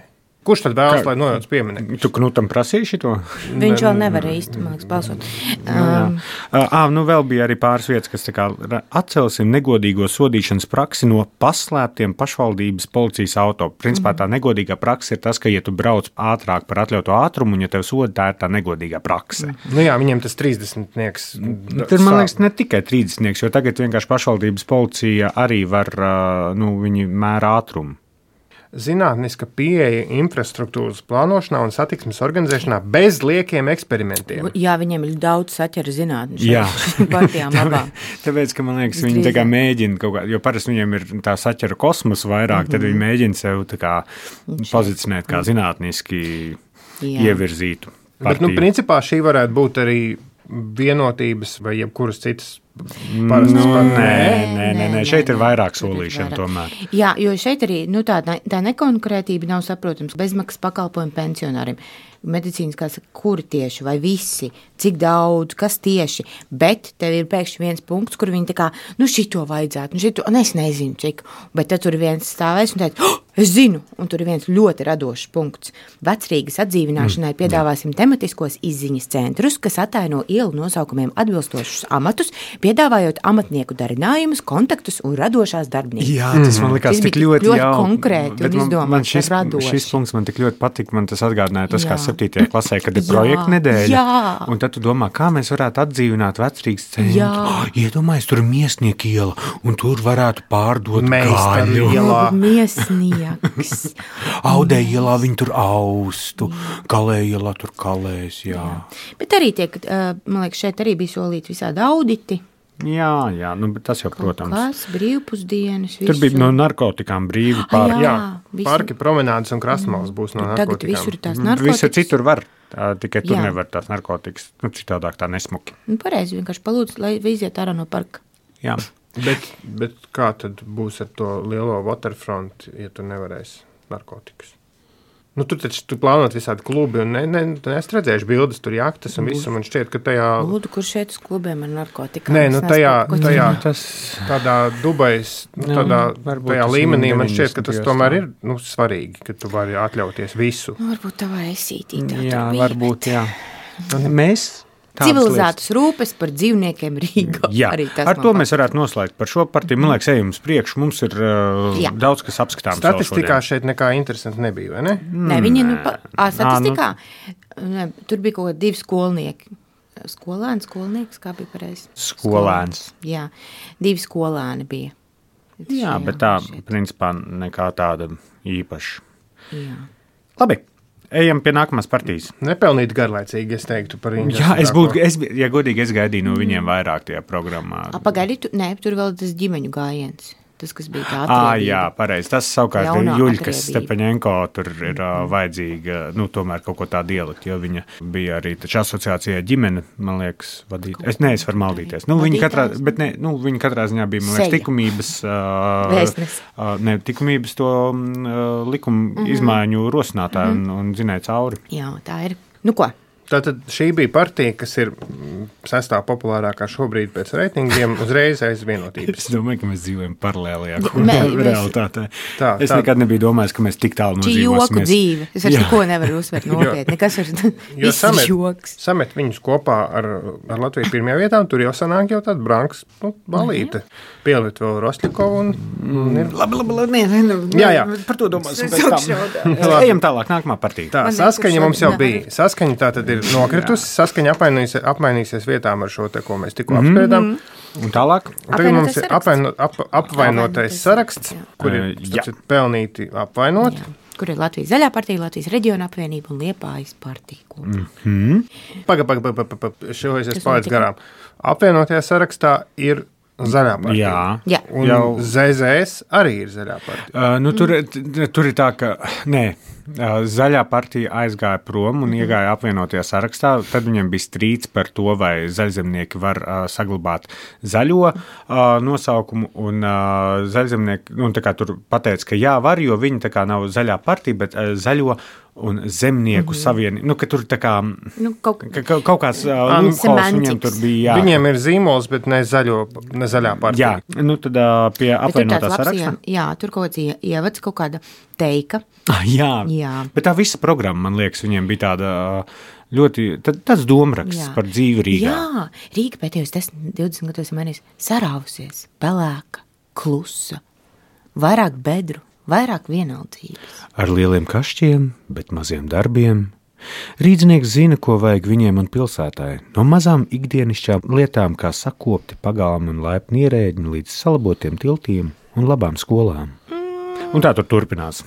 Kurš tad vēlas, lai nojauc pieminekļus? Tu Knutam prasīji šito? Viņš vēl nevar īsti, man liekas, balsot. Um, Ā, nu vēl bija arī pāris vietas, kas tā kā ra- atcelsim negodīgo sodīšanas praksi no paslēptiem pašvaldības policijas auto. Principā tā negodīgā praksa ir tas, ka, ja tu brauc ātrāk par atļautu ātrumu, un ja tev soda, tā ir tā negodīgā prakse. Nu jā, viņiem tas trīsdesmitnieks. Tur, man liekas, ne tikai trīsdesmitnieks, jo tagad vienkārši pašvaldības policija arī var, ā, nu, viņi mēra ātrumu. Zinātniska pieeja infrastruktūras plānošanā un satiksmes organizēšanā bez liekiem eksperimentiem. jā, viņiem ir daudz saķera zinātņu. Jā. Partijām labām. Tāpēc, ka man liekas, viņi tā kā mēģina kaut kā, jo parasti viņiem ir tā saķera kosmosa vairāk, mm -hmm. tad viņi mēģina sev tā kā pozicionēt kā zinātniski Jā. ievirzītu. Bet, nu, partiju. principā šī varētu būt arī vienotības vai jebkuras citas Nu, parastas nē, partijas. nē, nē, nē, nē, šeit ir nē, vairāk šeit ir solīšana vairāk. tomēr. Jā, jo šeit arī nu, tā, tā nekonkrētība nav saprotams. Bezmaksas pakalpojumi pensionāriem. Medicīniskās, kuri tieši, vai visi, cik daudz, kas tieši, bet tev ir pēkšņi viens punkts, kur viņi tā kā, nu šito vajadzētu, nu šito, un es nezinu, cik, bet tad tur ir viens stāvēs un teica, oh, es zinu, un tur ir viens ļoti radošs punkts. Vecrīgas atdzīvināšanai mm, piedāvāsim tematiskos izziņas centrus, kas ataino ielu nosaukumiem atbilstošus amatus, piedāvājot amatnieku darinājumus, kontaktus un radošās darbnīcas. Jā, tas man likās Tas tik bija ļoti, ļoti jau, konkrēti un bet man, izdomāts man šis, un radoši. šis punkts man tik ļoti patika, man tas atgādināja tas, Jā. kā septītajā klasē, kad ir Jā, projekta nedēļa, jā. un tad tu domā, kā mēs varētu atdzīvināt Vecrīgas centru. Jā. Oh, iedomājies, tur ir Miesnieku iela, un tur varētu pārdot Meistaru gaļu. ielā. Miesnieks. Audē ielā viņi tur austu, Kalē ielā tur kalēs, jā. Bet arī tiek, uh, man liekas, šeit arī bija solīti visādi auditi. Jā, jā, nu, bet tas jau, protams. Kas, brīvpusdienas, Tur bija no narkotikām brīvi Ah, pār. jā. Jā, visu- parki, promenādes un krastmalas būs no Tagad visur ir narkotikām. tās Visur narkotikas. citur var, tā, tikai tur Jā. nevar tās narkotikas. Nu, citādāk tā nesmuki. Nu, pareizi, vienkārši palūdzu, lai iziet ārā no parka. Jā. Bet, bet kā tad būs ar to lielo waterfront, ja tu nevarēsi narkotikas? Nu, tur taču tu plānot visādi klubi, un ne, ne, es redzējuši bildes, tur jaktas un visu, man šķiet, ka tajā, Lūdzu, kur šeit uz klubiem ar narkotikām? nē, nu Es tajā, nesaprotu, ko tajā, tu- Tas tādā Dubais, nu, Nu, tādā, varbūt tajā tas līmenī man viņam šķiet, ka tas deviņdesmitajos tomēr tā. ir, nu, svarīgi, ka tu vari atļauties visu. Nu, varbūt tavā esītī tā jā, tur bija. varbūt, jā. Mēs tādas Civilizētas rūpes par dzīvniekiem Rīgā. Jā, Arī tas ar man to patīk. mēs varētu noslēgt par šo partiju. Man liekas, ejam uz priekšu. Mums ir uh, Jā. daudz kas apskatāms. vēl Statistikā šodien. šeit nekā interesanti nebija, vai ne? Nē, viņi nu, pa, ā, Ā, statistikā, ne, tur bija kaut kādi divi skolnieki. Skolēns, skolnieks, kā bija pareizi? Skolēns. Jā, divi skolēni bija. Jā, bet tā, principā, nekā tāda īpaša. Jā. Labi, ejam pie nākamās partijas. Nepelnīt garlaicīgi, es teiktu par viņu. Jā, es būtu, es, ja godīgi, es gaidīju no viņiem vairāk tajā programmā. A, pagaidi, tu, nē, tur vēl tas ģimeņu gājiens. Tas, kas bija tā Ah, atriebība. jā, pareizi. Tas savukārt ir Jaunā Juļkas atriebība. Stepaņenko, tur ir uh, vajadzīga, nu, tomēr kaut ko tādu ielikt, jo viņa bija arī taču asociācijā ģimene, man liekas, vadīt. Es ne, es varu maldīties. Nu, viņa katrā, bet ne, nu, viņa katrā ziņā bija, man liekas, Seja. tikumības, uh, Vēstnes. uh, ne, tikumības to uh, likumu mm-hmm. izmaiņu rosinātāju mm-hmm. un, un zinēja cauri. Jā, tā ir. Nu ko? Tātad šī bija partija, kas ir sestā populārākā šobrīd pēc reitingiem, uzreiz aiz vienotības. Es domāju, ka mēs dzīvojam paralēlajā Mē, mēs- realitātē. Tā, Es tā. nekad nebiju domājis, ka mēs tik tālu Šī joku nodzīvosimies. dzīve. Es vairs Jā. neko nevaru uzsvērt nopietni. Nekas vairs Jo viss ir samet, joks. samet viņus kopā ar, ar Latviju pirmajā vietā, un tur jau sanāk jau tāda branks nu, balīte. Pielikt vēl Rostļikovu un, un ir. Labi, labi, labi. Nē, nē, Jā, jā. Par to domāsim Es pēc tam. augšā. Ejam tālāk, nākamā partija. Tā, Man saskaņa liekas, mums jau šodien bija. Saskaņa tā tad ir nokritusi. Saskaņa apmainīsies, apmainīsies vietām ar šo te, ko mēs tikko mm -hmm. apspriedām. Un tālāk? Un tagad mums Apvainotais ir saraksts. apvaino, ap, apvainotais saraksts, jā. kur ir Eh, jā. starp citu, pelnīti apvainot. Jā. Kur ir Latvijas zaļā partija, Latvijas reģiona apvienība un Liepājas partija. Mm. Pagaid, pagaid, pagaid, pagaid, pagaid. Šo es Kas esmu palaidis notika? garām. Apvienotajā sarakstā ir zaļā partija. Jā. Jā. Un Jau- Z Z S arī ir zaļā partija. Uh, nu, tur, t- tur ir tā, ka nē, uh, zaļā partija aizgāja prom un iegāja apvienotajā sarakstā. Tad viņiem bija strīds par to, vai zaļzemnieki var uh, saglabāt zaļo uh, nosaukumu. Un uh, zaļzemnieki nu, tā kā tur pateica, ka jā, var, jo viņi tā kā nav zaļā partija, bet uh, zaļo un zemnieku mm -hmm. savienība. Nu, ka tur tā kā Nu, kaut ka, ka, kaut kāds uh, Ah, loopholes semantics. viņiem tur bija. Jā. Viņiem ir zīmols, bet ne, zaļo, ne zaļā partija. Jā, nu tad uh, pie Bet tur apvienotā tāds labs, saraksta. jā, jā, tur kaut kāds ie- ievads, kaut kāda teika. Ah, jā. Jā. Bet tā visa programma, man liekas, viņiem bija tāda ļoti, tad, tāds domraksts Jā. par dzīvi Rīgā. Jā, Rīga pēdējos desmit, divdesmit gados ir mainījusies, sarāvusies, pelēka, klusa, vairāk bedru, vairāk vienaldzības. Ar lieliem kašķiem, bet maziem darbiem. Rīdznieks zina, ko vajag viņiem un pilsētai. No mazām ikdienišķām lietām, kā sakopti pagalmi un laipni ierēģi, līdz salabotiem tiltiem un labām skolām. Un tā tur turpinās.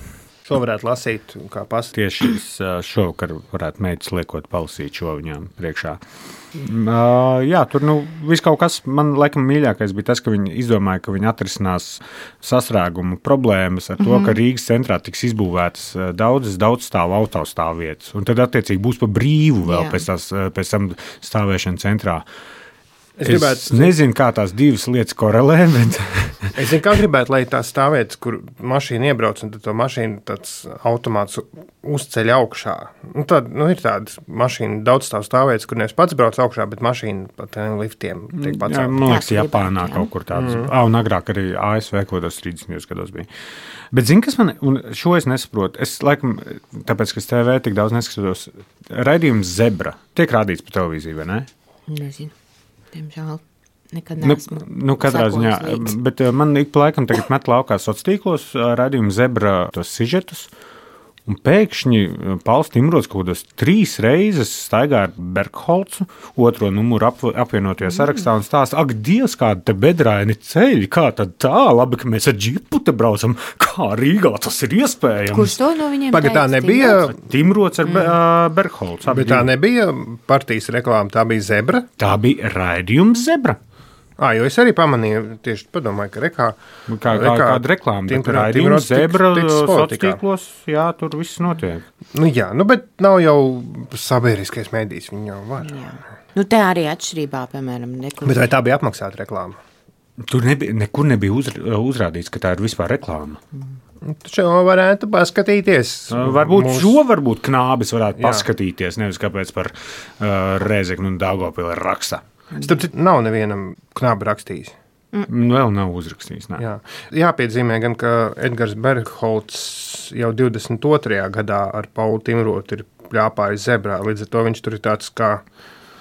Šo varētu lasīt kā pastāstīt. Tieši es, ā, šovakar varētu meitas liekot palasīt šo viņām priekšā. Uh, jā, tur nu, viss kaut kas man laikam mīļākais bija tas, ka viņi izdomāja, ka viņi atrisinās sastrēgumu problēmas ar to, mm-hmm. ka Rīgas centrā tiks izbūvētas ā, daudzas daudzstāvu autostāvvietas. Un tad attiecīgi būs pa brīvu vēl Jā. pēc, tās, ā, pēc tam stāvēšana centrā. Es Es, gribētu- es nezinu, kā tās divas lietas korelē, bet Es zinu, kā gribētu, lai tā stāvvietas, kur mašīna iebrauc, un tad to mašīnu tāds automāts uzceļ augšā. Nu, tad, nu, ir tādas mašīna daudzstāvu stāvvietas, kur nevis pats brauc augšā, bet mašīna pa tiem liftiem tiek jā, pacelt. man liekas, Jā, Japānā jā. kaut kur tāds. Mm. Ah, un agrāk arī A S V kaut kādos trīsdesmitajos gados bija. Bet zini, kas man, un šo es nesaprotu, es laikam, tāpēc, ka es T V tik daudz neskatos, raidījums Zebra tiek rādīts pa televīziju, vai ne? Nezinu, diemžēl nekad Nu, neesmu. nu, katrā ziņā, sekojusi līdzi. bet uh, man ik pa laikam tagad met laukā sociālos tīklos uh, raidījumu Zebra tos sižetus, un pēkšņi uh, Pauls Timrods kaut kādos trīs reizes staigā ar Bergholcu, otro numuru ap, apvienotajā sarakstā un stāsta, ak, Dievs, kāda te bedraini ceļi, kā tad tā, labi, ka mēs ar džipu te braucam, kā Rīgā tas ir iespējams. Kurš to no viņiem Pagad, tā teica? nebija, Timrods ar mm. Bergholcu. abi bet tā divi. nebija partijas reklāma, tā bija zebra. Tā bija raidījums Zebra. Ah, jo es arī pamanīju, tieši padomāju, ka rekā, Kā, kā kāda reklāma, bet Tim- raidījums Timrods tik- Zebra ticis sociālos politikā. tīklos, jā, tur viss notiek. Nu jā, nu, bet nav jau sabiedriskais mēdījis, viņi jau var. Jā. Nu, te arī atšķirībā, piemēram, nekur. Bet vai tā bija apmaksāta reklāma? Tur nebija, nekur nebija uzra, uzrādīts, ka tā ir vispār reklāma. Nu, Taču jau varētu paskatīties. Varbūt Mūsu- šo varbūt knābis varētu Jā. paskatīties, nevis kāpēc par uh, Rēzeknu un Daugavpili raksta. Starp citu, nav nevienam knābi rakstījis. Mm. Vēl nav uzrakstījis. Nē. Jā. Jāpiezīmē gan, ka Edgars Bergholts jau divdesmit otrajā gadā ar Paulu Timrotu ir pļāpājis zebrā. Līdz ar to viņš tur ir tāds kā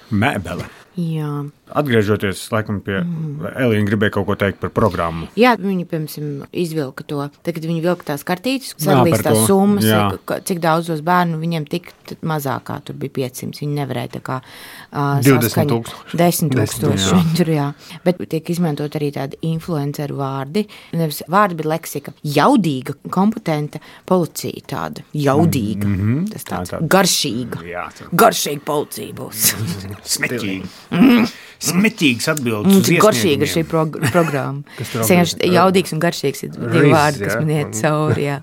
Mēbele. Jā. Atgriežoties laikam pie mm. Elīna, gribēja kaut ko teikt par programmu. Jā, viņi, piemēram, izvilka to. Tagad viņi vilka tās kartītes, Jā, sadalīs par tās to. summas, Jā. ka- cik daudzos bērnu viņiem tik tad mazākā, tur bija piecsimt. Viņi nevarēja tā kā uh, divdesmit tūkstoši. desmit Desmit, tūkstoši jā. viņi tur, jā. Bet tiek izmantot arī tādi influenceru vārdi. Nevis vārdi, bet leksika. Jaudīga, kompetenta policija tāda. Jaudīga. Mm -hmm. Tas tāds Tā, tā. garšīga. Jā, tā. Garšīga policija būs. Smeķīgi. smetīgas atbildes. Mums ir garšīga šī prog programma. Es vienkārši jaudīgs un garšīgs ir divi vārdi, kas man iet cauri, jā.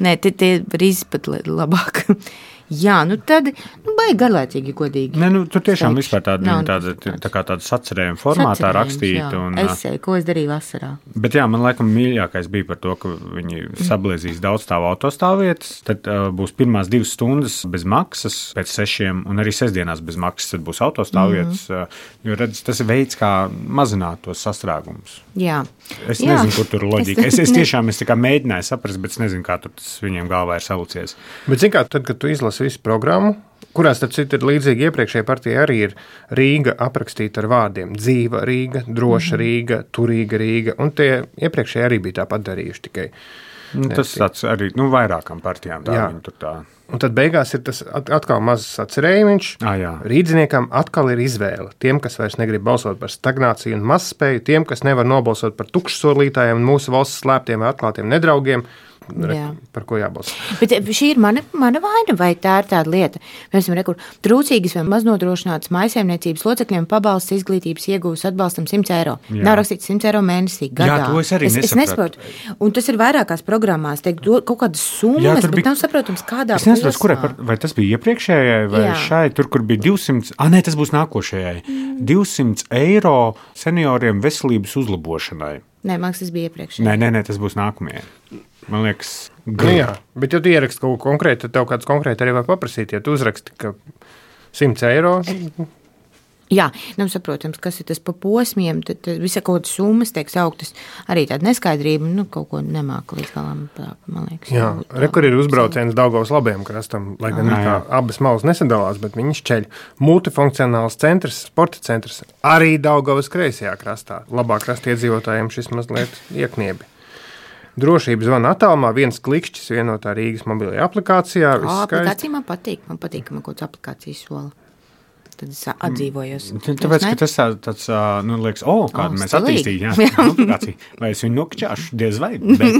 Nē, tie, tie rīzi pat labāk. Jā, nu tad, nu, baigi garlaicīgi, godīgi. Ne, nu, tur tiešām vispār tāda, tāda, tā kā tāda sacerējuma formātā rakstīta. Un, esēju, ko es darīju vasarā. Bet jā, man laikam mīļākais bija par to, ka viņi sabliezīs daudz stāvu autostāvvietas, tad uh, būs pirmās divas stundas bez maksas pēc sešiem, un arī sestdienās bez maksas, tad būs autostāvvietas, mm -hmm. uh, jo redz, tas ir veids, kā mazināt tos sastrēgumus. Jā. Es jā. nezinu, kur tur ir loģika. Es, es tiešām es tā kā mēģināju saprast, bet es nezinu, kā tur tas viņiem galvā ir salucies. Bet zin kā, tad, kad tu izlasi visu programmu, kurās tad citu ir līdzīgi iepriekšējai partijai arī ir Rīga aprakstīta ar vārdiem dzīva Rīga, droša Rīga, turīga Rīga, un tie iepriekšēji arī bija tāpat darījuši tikai. Nu, tas tāds arī, nu, vairākām partijām tā jā. Viņi tur tā. Un tad beigās ir tas atkal mazs atcerējumiņš. Ah, jā. Rīdziniekam atkal ir izvēle. Tiem, kas vairs negrib balsot par stagnāciju un mazspēju, tiem, kas nevar nobalsot par tukšsolītājiem un mūsu valsts slēptiem vai atklātiem nedraugiem, re, par ko jābalso. Bet šī ir mana, mana vaina, vai tā ir tāda lieta? Mēs esam rekur trūcīgas vai maznodrošinātas mājsaimniecības locekļiem pabalsts izglītības iegūs atbalstam simts eiro. Jā. Nav rakstīts simts eiro mēnesī gadā. Jā, to es arī es, es nesaprotu. Un tas ir vairākās programmās, teik, kaut kādas summas, bet bija... nav saprotams, kādā es nesaprotu, kurai, par, vai tas bija iepriekšējai vai jā. šai, tur, kur bija divsimt, ah, nē, tas būs nākošajai, mm. divsimt eiro senioriem veselības uzlabošanai. Nē, man tas bija iepriekšējai. Nē, nē, nē, tas būs nākamajai. Man liekas, nu, jā, bet ja tu ieraksti kaut ko konkrētu, tad tev kāds konkrēti arī var paprasīt. Ja tu uzraksti, ka simts eiro... Jā, nav saprotams, kas ir tas pa posmiem, tad, tad visa kaut kādas summas tiek sauktas, arī tāda neskaidrība, nu, kaut ko nemāka līdz galam, man liekas. Jā, re, kur ir uzbrauciens Daugavas labajam krastam, lai gan kā abas malas nesadalās, bet viņi šķeļ multifunkcionāls centrs, sporta centrs, arī Daugavas kreisajā krastā. Labā krasta iedzīvotājiem šis mazliet iekniebi. Drošības zvana attālumā, viens klikšķis vienotā Rīgas mobilajā aplikācijā. O, aplikācija man patīk, man patīk, ka man kaut kāds aplikācijas sola. Tad es atdzīvojos. Tāpēc, ka tas tāds, nu, liekas, o, kādu mēs attīstījām, jā, aplikāciju. Vai es viņu nokļāšu, diez vai, bet...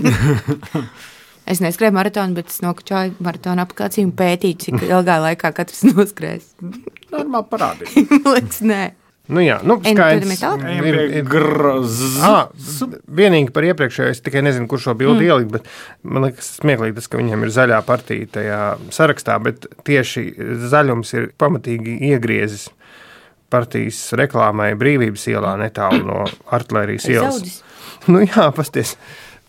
Es neskrēju maratonu, bet es nokļāju maratonu aplikāciju un pētīju, cik ilgā laikā katrs noskrēs. Normāli parādīt. Liekas, nē. Nu jā, nu, skaidrs. Ir, ir grz. Ah, vienīgi par iepriekšējo, es tikai nezinu, kur šo bildi mm. ielikt, bet man liekas smieklīgi tas, ka viņam ir zaļā partija tajā sarakstā, bet tieši zaļums ir pamatīgi iegriezis partijas reklāmai Brīvības ielā netālu no Artilērijas ielas. Zaudis. Nu jā, pasties,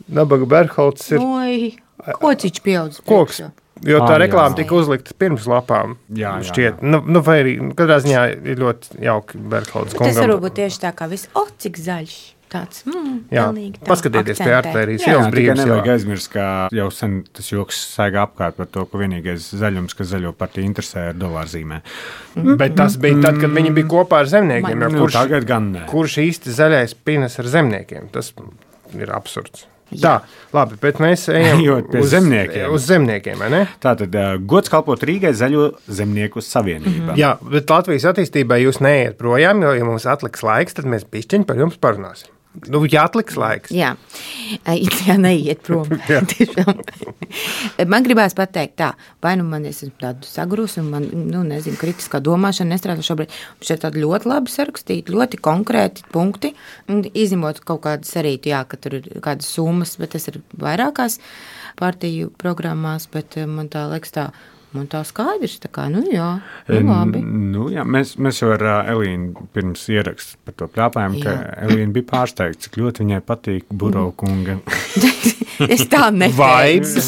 Nabaga Berholts ir... Oi, kociņš pieaudz. Koks. Jo tā ah, reklāma jā. tika uzlikta pirms lapām. Jā, jā, šķiet. Jā. Nu, nu, vai arī katrā ziņā ir ļoti jauki Berholds kungam. Tas varbūt tieši tā kā viss, o, cik zaļš. Tāds, mm, jā, pilnīgi tā. Paskatieties akcentē. pie Artilērijas ielas Brīvības ielā. Nevajag aizmirst, ka jau sen tas joks saigā apkārt par to, ka vienīgais zaļums, kas zaļo partiju interesē, ir dolārzīmē. Mm. Bet tas bija tad, kad viņi bija kopā ar zemniekiem. Nu, kurš, tagad gan ne. Kurš īsti zaļais pinas ar zemniekiem? Tas ir absurds. Jā. Tā, labi, bet mēs ejam uz zemniekiem. Uz zemniekiem, vai ne? Tātad uh, gods kalpot Rīgai Zaļo zemnieku savienībā. Mm-hmm. Jā, bet Latvijas attīstībai jūs neiet projām, jo, ja mums atliks laiks, tad mēs pišķiņi par jums parunāsim. Nu, ja atliks laiks. Jā, jā neiet prom. Man gribās pateikt tā, vai nu man esmu tādu sagrus un man, nu, nezinu, kritiskā domāšana nestrādā šobrīd. Šeit tādi ļoti labi sarakstīti, ļoti konkrēti punkti, izņemot kaut kādas arī, jā, ka tur ir kādas summas, bet tas ir vairākās partiju programmās, bet man tā liekas tā, man tā skaidrs, tā kā, nu jā, nu labi. Nu jā, mēs, mēs jau ar uh, Elīnu pirms ierakstu par to pļāpājām, ka Elīna bija pārsteigta, cik ļoti viņai patīk Burau kunga. Es tā neteicu.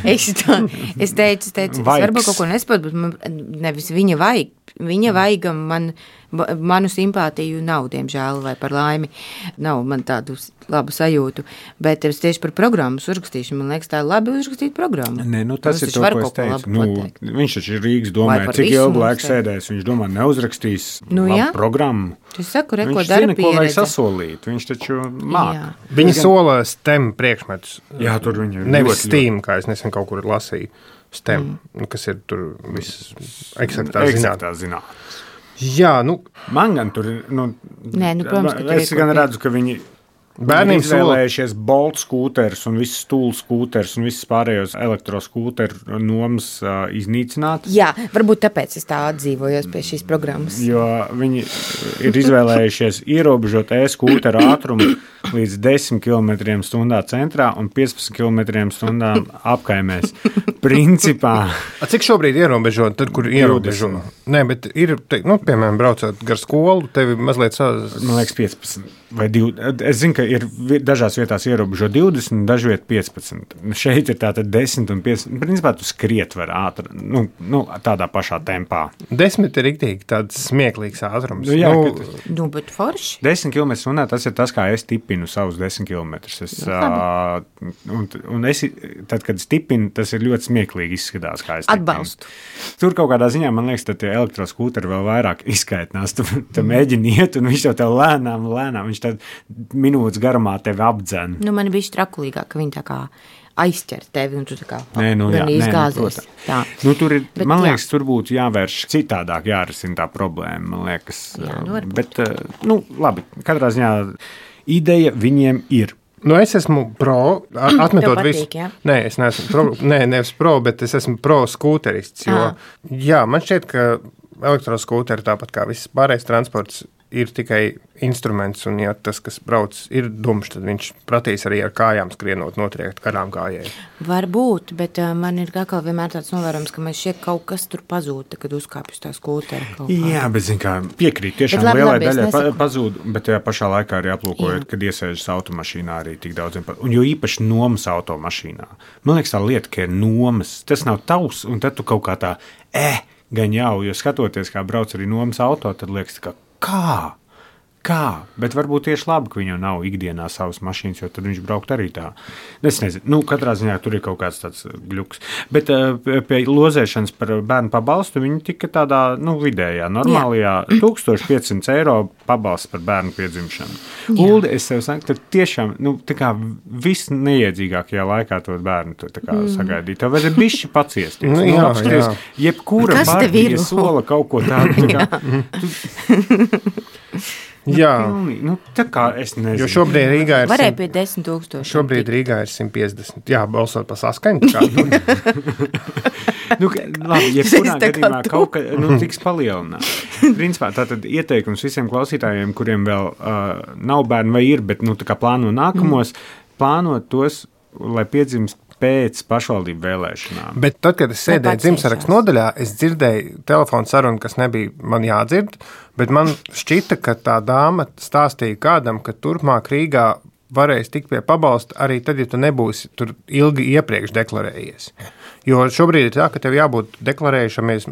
es, tā, es teicu, es teicu, es varbūt kaut ko nespētu, bet man, nevis viņa vajag. Viņa vajag man, manu simpātiju nav, diemžēl, vai par laimi. Nav man tādu labu sajūtu. Bet es tieši par programmas uzrakstīšu. Man liekas, tā ir labi uzrakstīt programmu. Nē, nu tas, tas ir to, ko es teicu. Nu, viņš taču ir Rīgas domāja, cik ilgu laiku sēdēs. Viņš domā, neuzrakstīs nu, labu jā. programmu. Es saku, re, viņš zina, ko vajag sasolīt. Viņš taču māk. Jā. Viņi sola STEM priekšmetus. Jā, tur viņi ir. Nevis STEAM, kā es nesen kaut kur lasīju. STEM, mm. kas ir tur viss eksaktā zinātnes. Jā, nu. Man gan tur ir, nu, Nē, nu, protams, ka tur es gan redzu, ka viņi Bērniem izvēlējušies Bolt skūterus un visus stūlu skūterus un visus pārējos elektroskūteru nomas uh, iznīcināt. Jā, varbūt tāpēc es tā atdzīvojos pie šīs programmas. Jo viņi ir izvēlējušies ierobežot e-skūteru ātrumu līdz desmit kilometriem stundā centrā un piecpadsmit kilometriem stundā apkaimēs. Principā. A, cik šobrīd ierobežot, tad, kur ierobežo? Nē, bet ir, te, nu, piemēram, braucot gar skolu, tevi mazliet sāz... Man liekas piecpadsmit vai divdesmit. Es zinu, ka ir dažās vietās ierobežo divdesmit, dažviet piecpadsmit. Šeit ir tātad desmit un piecpadsmit. Principā tu skriet var ātri, nu, nu, tādā pašā tempā. desmit ir riktīgi tāds smieklīgs ātrums. Nu, jā, nu, Kad... nu, bet forši. desmit kilometrus stundā tas ir tas, kā es tipinu savus desmit kilometrus. Es, uh, un, un es, tad, kad es tipinu, tas ir ļoti smieklīgi izskatās, kā es tipinu. Atbalstu. Tur kaut kādā ziņā, man liekas, tad tie elektroskūteri vēl vairāk izskaitnās. Tu, tu mēģini iet, un viņš jau tev lēnām, lēnām, viņš tad minūtes garumā tevi apdzen. Nu, man bija trakulīgāk, ka viņi tā kā aizķer tevi, un tu tā kā Nē, nu, jā, gan izgāzies. Nē, nu, tur ir, Bet, man jā. liekas, tur būtu jāvērš citādāk, jārisina tā problēma, man liekas. Jā, nu, varbūt. Bet, nu, labi, katrā ziņā ideja viņiem ir. Nu, es esmu pro, a- atmetot Tev visu. patīk, jā? Nē, es neesmu pro, nē, nevis pro, bet es esmu pro skūterists. Jo, Ā. jā, man šķiet, ka elektroskūteri, tāpat kā viss pārējais transports, ir tikai instruments, un ja tas, kas brauc, ir dumšs, tad viņš pratīs arī ar kājām skrienot, notriekt garām kājai. Varbūt, bet uh, man ir atkal vienmēr tāds novērojums, ka man šķiet kaut kas tur pazūd, kad uzkāpj uz tā skūtera kaut kā. Jā, bet, zin kā, piekrīt, tiešām Bet labi, lielai labi, es daļai pa, nesaku. pazūd, bet tajā pašā laikā arī aplūkojot, kad iesēžas automašīnā arī tik daudziem, pa- un jo īpaši nomas automašīnā. Man liekas tā lieta, ka ir nomas, tas nav tavs, un tad tu kaut kā tā, eh, gan jau, jo skatoties, kā brauc arī nomas auto, tad liekas tā kā, kā? Kā? Bet varbūt tieši labi, ka viņam nav ikdienā savas mašīnas, jo tad viņš braukt arī tā. Es nezinu, nu, katrā ziņā tur ir kaut kāds tāds gļuks. Bet uh, pie lozēšanas par bērnu pabalstu viņi tika tādā, nu, vidējā, normālajā tūkstoš piecsimt eiro pabalsts par bērnu piedzimšanu. Uldi, es tev saku, tad tiešām, nu, tā kā viss neiedzīgākajā laikā to bērnu tu tā kā mm. sagaidīt. Tev vajadzēja bišķi paciesties. Nu, Nu, jā, apskaties, jā. jebkura Kas tev ir? partija sola kaut ko tādu. Tā kā, Jā, pilnīgi, nu, tā kā es nezinu. jo šobrīd Rīgā ir, Varēja simt- pie desmit tūkstoši. šobrīd Rīgā ir simt piecdesmit. Jā, balsot pa saskaņu. Kā, nu, Nu, ka- labi, jebkurā Es tā kā gadījumā tu. kaut kas nu, tiks palielināts. Principā tātad ieteikums visiem klausītājiem, kuriem vēl uh, nav bērni vai ir, bet nu, tā kā plāno nākamos, mm. plānot tos, lai piedzimst pēc pašvaldību vēlēšanām. Bet tad, kad es sēdēju pats dzimšanas iešās. nodaļā, es dzirdēju telefonu sarunu, kas nebija man jādzird, bet man šķita, ka tā dāma stāstīja kādam, ka turpmāk Rīgā varēs tikt pie pabalsta arī tad, ja tu nebūsi tur ilgi iepriekš deklarējies. Jo šobrīd ir tā, ka tev jābūt deklarējušamies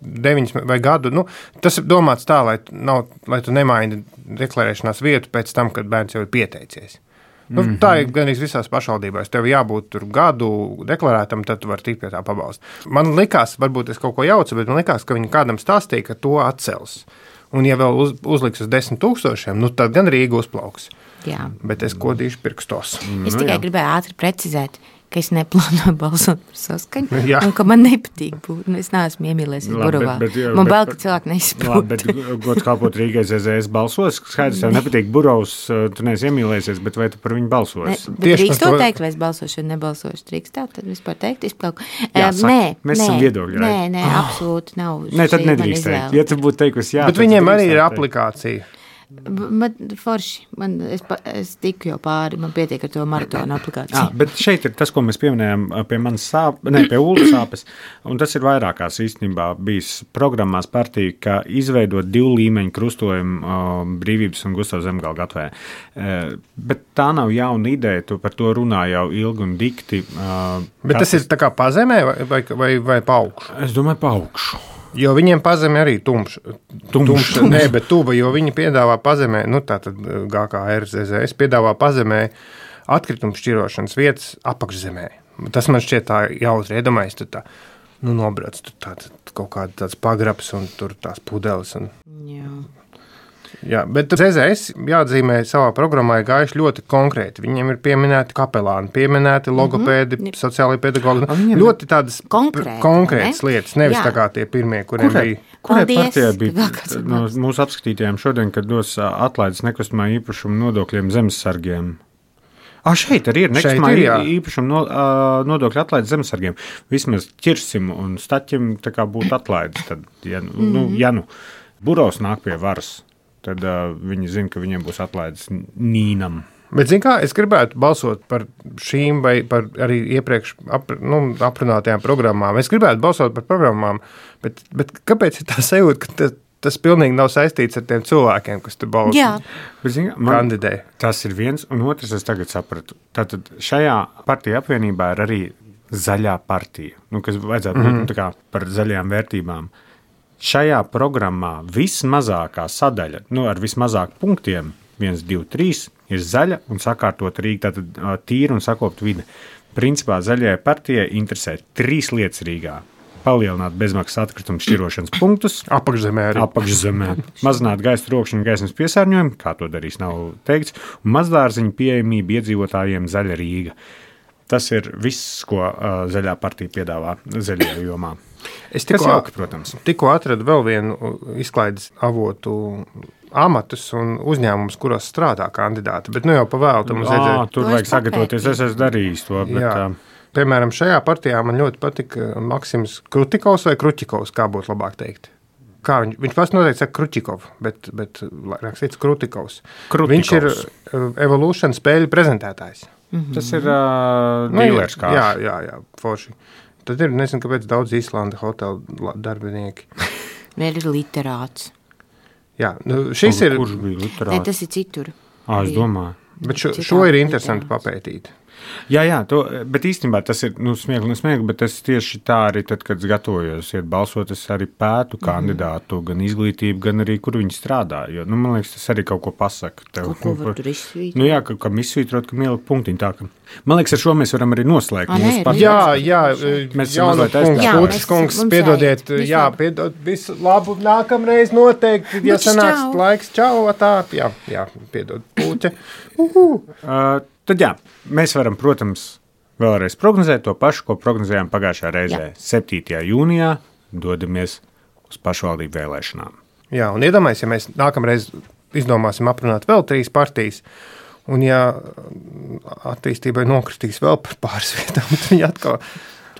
deviņas vai gadu. Nu, tas ir domāts tā, lai, nav, lai tu nemaini deklarēšanās vietu pēc tam, kad bērns jau ir pieteicies. Nu, mm-hmm. Tā ir gan visās pašvaldībās. Tev jābūt tur gadu deklarētam, tad tu vari tikt pie tā pabalsta. Man likās, varbūt es kaut ko jaucu, bet man likās, ka viņi kādam stāstīja, ka to atcels. Un ja vēl uz, uzliks uz desmit tūkstošiem, nu tad gan Rīga uzplauks. Jā. Bet es kodīšu pirkstos. Es tikai gribēju ātri precizēt, ka es neplānoju balsot par saskaņu, Jā. un ka man nepatīk būt. Nu, es neesmu iemīlējies Labi, Burovā. bet- bet, jā, Man bet- bail, ka cilvēki Labi, bet neizprot. gods kalpot Rīgai Z Z S balsos. Skaidrs, tev nepatīk Burovs, tu neesi iemīlējies, bet vai tu par viņu Ne, balsos? bet Tieši drīkst par to to- teikt, vai es balsošu, vai nebalsošu. Drīkst tā, tad vispār teikt, izplauku. Jā, Eh, saki, nē, mēs nē, esam viedokļi, Nē, right? nē, absolūti nav. Nē, tad Šī ir mana nedrīkst teikt. izvēle. Ja tu būtu teikusi jā, Bet tad tu viņiem arī drīkstētu ir teikt. aplikācija. B- Man forši, man, es, pa, es tiku jau pāri, man pietiek ar to maratonu aplikāciju. Jā, bet šeit ir tas, ko mēs pieminējām pie manas sāpes, ne pie Ulas sāpes. Un tas ir vairākās īstenībā bijis programmās partija, ka izveidot divu līmeņu krustojumu uh, Brīvības un Gustavs Zemgala gatvē. Uh, bet tā nav jauna ideja, tu par to runā jau ilgi un dikti. Uh, Bet tas ir tā kā pazemē vai, vai, vai, vai pa augšu? Es domāju, pa augšu. Jo viņiem pazemē arī tumša. Tumša, nē, bet tuva, jo viņi piedāvā pazemē, nu tā tad G K R Z Z S piedāvā pazemē atkritumu šķirošanas vietas apakšzemē. Tas man šķiet tā jautri, iedomājies, tu tā, nu nobrauc, tu tā, tā, kaut kāda tāds pagrabs un tur tās pudeles. Un... Jā. Jā, bet Z Z S jāatzīmē savā programmā ir gājuši ļoti konkrēti. Viņiem ir pieminēti kapelāni, pieminēti logopēdi, mm-hmm. sociālai pedagogi. Ļoti tādas Konkrēti, konkrētas ne? lietas, nevis Jā. tā kā tie pirmie, kuriem Kurai, bija. kurai Paldies, partijai bija vēl kāds no mūsu apskatītājiem šodien, kad dos ā, atlaides nekustamā īpašuma nodokļiem zemesargiem? Ah, šeit arī ir nekustamā ir, jā. īpašuma no, ā, nodokļu atlaides zemesargiem. Vismaz ķirsim un staķim tā kā būtu atlaides. Tad, ja, mm. nu, ja nu Burovs nāk pie varas, tad uh, viņi zina, ka viņiem būs atlaides Nīnam. Bet, zin kā, es gribētu balsot par šīm vai par arī iepriekš ap, nu, aprunātajām programmām. Es gribētu balsot par programmām, bet, bet kāpēc ir tā sajūta, ka tas, tas pilnīgi nav saistīts ar tiem cilvēkiem, kas tur balso? Jā. Bet, zin, man, Kandidē. tas ir viens, un otrs es tagad sapratu. Tātad šajā partija apvienībā ir arī zaļā partija, nu, kas vajadzētu būt mm-hmm. nu, tā kā par zaļajām vērtībām. Šajā programmā vismazākā sadaļa, nu, ar vismazāk punktiem, viens, divi, trīs, ir zaļa un sakārtot Rīga, tātad uh, tīra un sakopt vide. Principā zaļajai partijai interesē trīs lietas Rīgā. Palielināt bezmaksas atkritumu šķirošanas punktus, Apakšzemē arī. apakšzemē, mazināt gaisa trokšņu un gaismas piesārņojumu, kā to darīs, nav teikts, un mazdārziņu pieejamību iedzīvotājiem zaļa Rīga. Tas ir viss, ko uh, zaļā partija piedāvā zaļajā jomā. Es Kas tikko, jauki, protams. tikko atradu vēl vienu izklaides avotu amatus un uzņēmumus, kuros strādā kandidāti, bet nu jau pa vēlu tam uz Ā, redzēt. tur To vajag es sagatavoties, papētīju. es esmu darījis to, bet Jā. uh, Piemēram, šajā partijā man ļoti patika Maksims Krutikovs vai Kručikovs, kā būtu labāk teikt. Kā viņš, viņš pats noteikti saka Kručikov, bet, bet rakstīts Krutikovs. Krutikovs. Viņš ir uh, Evolution spēļu prezentētājs. tas ir uh, Nu, dīlers jā, kārš. jā, jā, forši. Tad ir, nezinu, kāpēc daudz Īslanda hotelu la- darbinieki. Vēl ir literāts. Jā, nu, šis ir, Kurš bija Ne, literāts? tas ir citur. Ā, es domāju. bet šo, Citādi šo ir interesanti literāts. papētīt. Jā, jā, to, bet īstenībā tas ir nu, smieklīgi, un smieklīgi, bet es tieši tā arī, tad, kad es gatavojos iet balsot, es arī pētu kandidātu, mm-hmm. gan izglītību, gan arī, kur viņi strādā. Jo, nu, man liekas, tas arī kaut ko pasaka. Tev, Kaut ko var tur izsvīt. Nu, jā, ka, ka izsvītrot, ka ielikt punktiņu tā, ka... Man liekas, ar šo mēs varam arī noslēgt. A, mūsu nē, partiju. Jā, jā, Mēs esam Jauna mazliet kungs, aizstāvēti. Jā, Kūčs mēs- kungs, mums piedodiet, vajag. jā, Visu piedod, visu labu, nākamreiz noteikti, ja Bučs, sanāks čau. laiks, čau, tā, jā, jā, piedod, Pūķa. Uh, tad jā, mēs varam, protams, vēlreiz prognozēt to pašu, ko prognozējām pagājušajā reizē. Jā. septītajā jūnijā dodamies uz pašvaldību vēlēšanām. Jā, un iedomājies, ja mēs nākamreiz izdomāsim aprunāt vēl trīs partijas, un ja attīstībai nokritīs vēl par pāris vietām, tad viņi atkal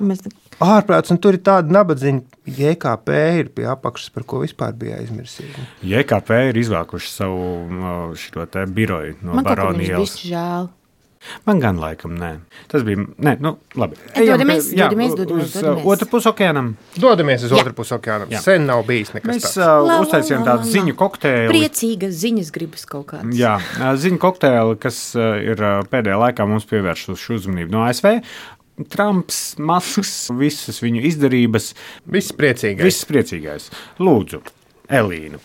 Tu mēs ārprāts, un tur ir tāda nabadziņa, J K P ir pie apakšas, par ko vispār bija aizmirsīgi. J K P ir izvākuši savu uh, šito te biroju no Man kaut kā viņus Baronielas. bišķi žēl. Man gan laikam nē. Tas bija, nē, nu, labi. Dodamies, Ejam, jā, dodamies, dodamies, uz uh, dodamies. otru pusi okeānam. Dodamies uz Jā. otru pusi okeānam. Jā. Sen nav bijis nekas Mēs tāds. uh, La, la, uztaisījām la, tādu la, ziņu la. kokteili. Priecīgas ziņas gribas kaut kādas. Jā, uh, ziņu kokteili, kas uh, ir uh, pēdējā laikā mums pievēršuši uzmanību no A S V. Trumps, Masks, visas viņu izdarības. Viss priecīgais. Viss priecīgais. Lūdzu, Elīna.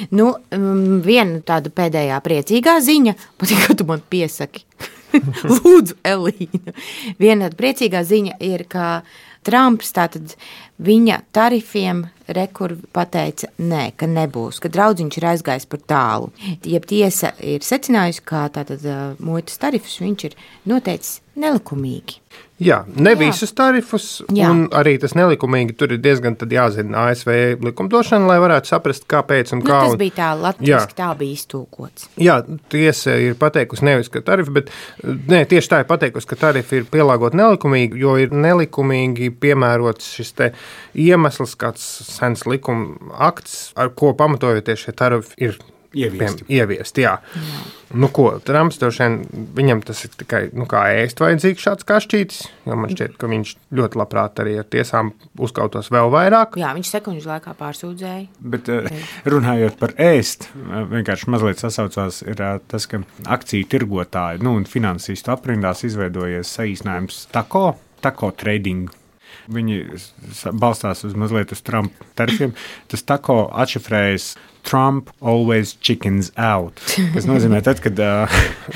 Nu, um, viena tāda pēdējā priecīgā ziņa, patīk, ka tu man piesaki. Lūdzu, Elīna. Viena tāda priecīgā ziņa ir, ka Trumps tātad viņa tarifiem rekur pateica, nē, ka nebūs, ka draudziņš ir aizgājis par tālu. Jeb tiesa ir secinājusi, ka tātad uh, muitas tarifus viņš ir noteicis nelikumīgi. Jā, ne Jā. visus tarifus, Jā. un arī tas nelikumīgi tur ir diezgan tad jāzina A S V likumdošana, lai varētu saprast, kāpēc un Nu, kā. tas un- bija tā, Jā. latviski tā bija iztūkots. Jā, tiesa ir pateikusi nevis, ka tarifi, bet ne, tieši tā ir pateikusi, ka tarifi ir pielāgoti nelikumīgi, jo ir nelikumīgi piemērots šis te iemesls, kāds sens likuma akts, ar ko pamatojoties šie tarifi ir Ieviesti. Piem, ieviest, jā. jā. Nu ko, Trumps droši vien, viņam tas ir tikai, nu kā ēst vajadzīgs šāds kašķītis, jo man šķiet, ka viņš ļoti labprāt arī ar tiesām uzkautos vēl vairāk. Jā, viņš sekundžu laikā pārsūdzēja. Bet uh, runājot par ēst, uh, vienkārši mazliet sasaucās ir uh, tas, ka akciju tirgotāji nu, un finansistu aprindās izveidojies saīsinājums tako, tako trading. Viņi s- balstās uz mazliet uz Trumpa tarifiem. Tas tako atšifrējas Trump always chickens out. Tas nozīmē, tad, kad uh,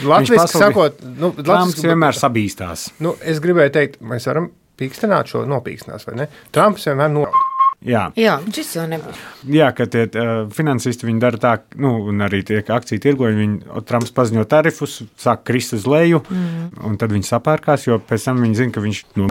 Latviski sakot, nu, Trumps latviski- vienmēr sabīstās. Nu, es gribēju teikt, mēs varam pīkstināt šo nopīkstinās, vai ne? Trumps vienmēr noraud. Jā, Jā šis jau nebūs. Jā, ka tie uh, finansisti viņi dara tā, nu, un arī tie akciju tirgoņi, viņi Trumps paziņo tarifus, sāk krist uz leju, mm. un tad viņi sapērkās, jo pēc tam viņi zina, ka viņš nu,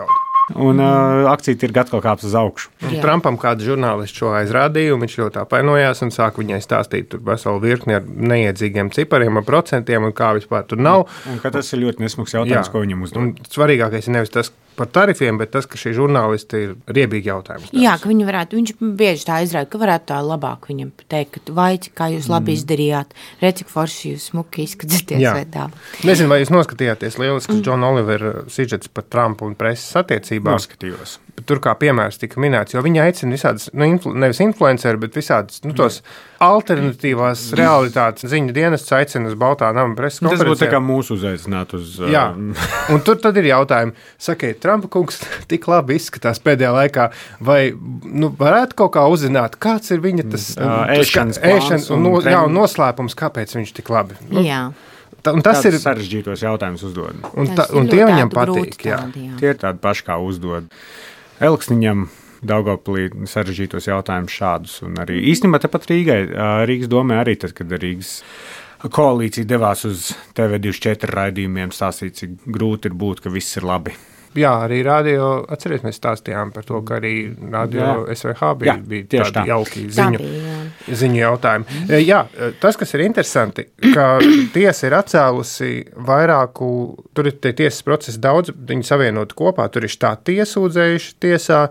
un uh, akcija tirgi atkal kāps uz augšu. Trumpam kāds žurnālists šo aizrādīja, un viņš ļoti apvainojās un sāka viņai stāstīt tur veselu virkni ar neiedzīgiem cipariem, ar procentiem un kā vispār tur nav. Un, un ka tas ir ļoti nesmuks jautājums, Jā. Ko viņam uzdod. Un svarīgākais ir nevis tas par tarifiem, bet tas, ka šī žurnālisti ir riebīgi jautājums. Jā, ka viņi varētu, viņš bieži tā izrāda, ka varētu tā labāk viņam teikt, ka vai, kā jūs labi mm. izdarījāt, redz, cik forši jūs smuki izskatāties vai tā. Nezinu, vai jūs noskatījāties lielisks mm. John Oliver sižets par Trumpu un preses attiecībām. Noskatījos. Tur kā piemērs tika minēts, jo viņi aicina visādas, nu, influ, nevis influenceri, bet visādas, nu, tos alternatīvās realitātes ziņu dienestus aicina uz Baltā nama preses konferencē. Tas būtu tā kā mūsu uzaicināt uz... Jā, un tur tad ir jautājumi, sakiet, Trumpa kungs tik labi izskatās pēdējā laikā, vai, nu, varētu kaut kā uzzināt, kāds ir viņa tas... Uh, ēšanas plāns un, un, jā, un noslēpums, kāpēc viņš tik labi. Nu, jā. Tā, un tas Tāds ir sarežģītos jautājumus uzdod. Un, ta, un tie viņam patīk, jā. Tādi, jā. Tie ir tādi paši, kā uzdod Elksniņam, Daugavpilī sarežģītos jautājumus šādus. Un arī īstenībā tepat Rīgai, Rīgas domē arī tad, kad Rīgas koalīcija devās uz T V divdesmit četri raidījumiem stāstīt, cik grūti ir būt, ka viss ir labi. Jā, arī radio, atceries, mēs stāstījām par to, ka arī radio jā. S V H bija, jā, bija tādi tā. jauki ziņu, bija, jā. ziņu jautājumi. Jā, tas, kas ir interesanti, ka tiesa ir atcēlusi vairāku, tur ir tie tiesas procesi daudz, viņi savienoti kopā, tur ir štāti tiesūdzējuši tiesā,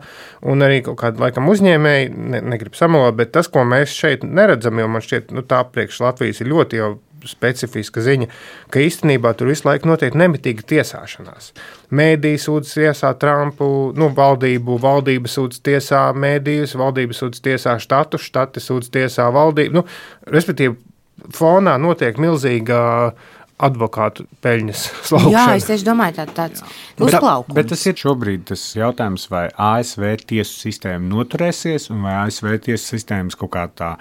un arī kaut kādi, laikam, uzņēmēji, ne, negrib samalot, bet tas, ko mēs šeit neredzam, jo man šķiet, nu, tā priekš Latvijas ir ļoti jau specifiska ziņa, ka īstenībā tur visu laiku notiek nemitīga tiesāšanās. Mēdī sūdz tiesā Trumpu, nu, valdību, valdība sūdz tiesā mēdījus, valdība sūdz tiesā štatu, štati sūdz tiesā valdību. Nu, respektīvi, fonā notiek milzīga advokātu peļņas slaukšana. Jā, es tieši domāju, tā, tāds uzplaukums. Bet, bet tas ir šobrīd tas jautājums, vai A S V tiesu sistēma noturēsies, un vai A S V tiesu sistēmas kaut kā tā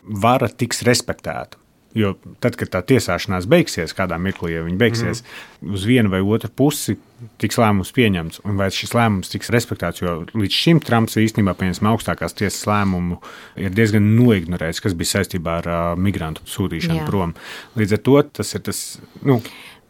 vara tiks respektēta. Jo tad, kad tā tiesāšanās beigsies, kādā mirklī, ja viņi beigsies, mm. uz vienu vai otru pusi tiks lēmums pieņemts, un vai šis lēmums tiks respektēts, jo līdz šim Trumps īstenībā pieņemsim augstākās tiesas lēmumu ir diezgan noignorējis, kas bija saistībā ar uh, migrantu sūtīšanu Jā. prom. Līdz ar to tas ir tas, nu,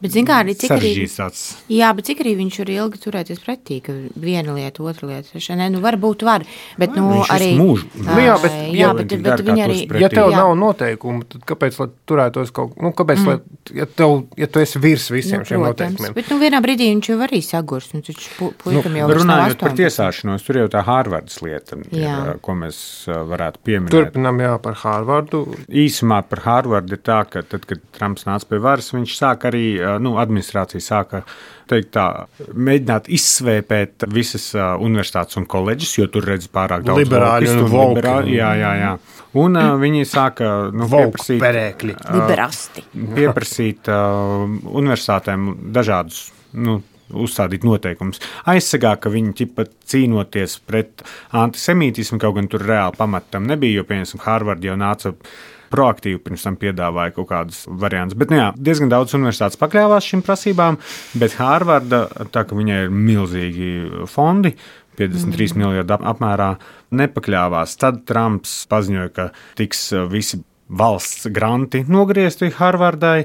Bet, zin kā, arī cik arī, tāds. Jā, bet cik arī viņš var ilgi turēties pretī, ka viena lieta, otra lieta, ne, nu varbūt var, bet, nu, viņš arī... Mūžu. Nu, jā, bet, jā, ja, bet, bet, bet viņi arī... Ja tev jā. nav noteikumu, tad kāpēc, lai turētos kaut, nu, kāpēc, mm. lai, ja tev, ja tu esi virs visiem nu, šiem protams, noteikumiem? Bet, nu, vienā brīdī viņš jau arī sagurs, nu, taču pu, puikam nu, jau vairs nav runājot par tiesāšanos, tur jau tā Hārvardas lieta, ir, ko mēs varētu pieminēt. Turpinām, jā, par Hārvardu. Īsumā par Hārvardu ir tā, ka tad, kad Trumps nāca pie varas, viņš sāk arī, nu, administrāciju sāka teikt tā, mēģināt izsvēpēt visas uh, universitātes un koledžas, jo tur redz pārāk daudz liberāļu un, un liberāļu. Jā, jā, jā. Un uh, viņi sāka nu, pieprasīt, perēkļi. Liberasti. pieprasīt uh, universitātēm dažādus, nu, uzstādīt noteikumus. Aizsagā, ka viņi ķipa cīnoties pret antisemītismu, kaut gan tur reāli pamatam nebija, jo, piemēram, Harvard jau nāca proaktīvi pirms tam piedāvāja kaut kādus variantus. Bet, nu jā, diezgan daudz universitātes pakļāvās šīm prasībām, bet Hārvarda, tā ka viņai ir milzīgi fondi, piecdesmit trīs mm. miljardi apmērā, nepakļāvās. Tad Trumps paziņoja, ka tiks visi valsts granti nogriezti Hārvardai,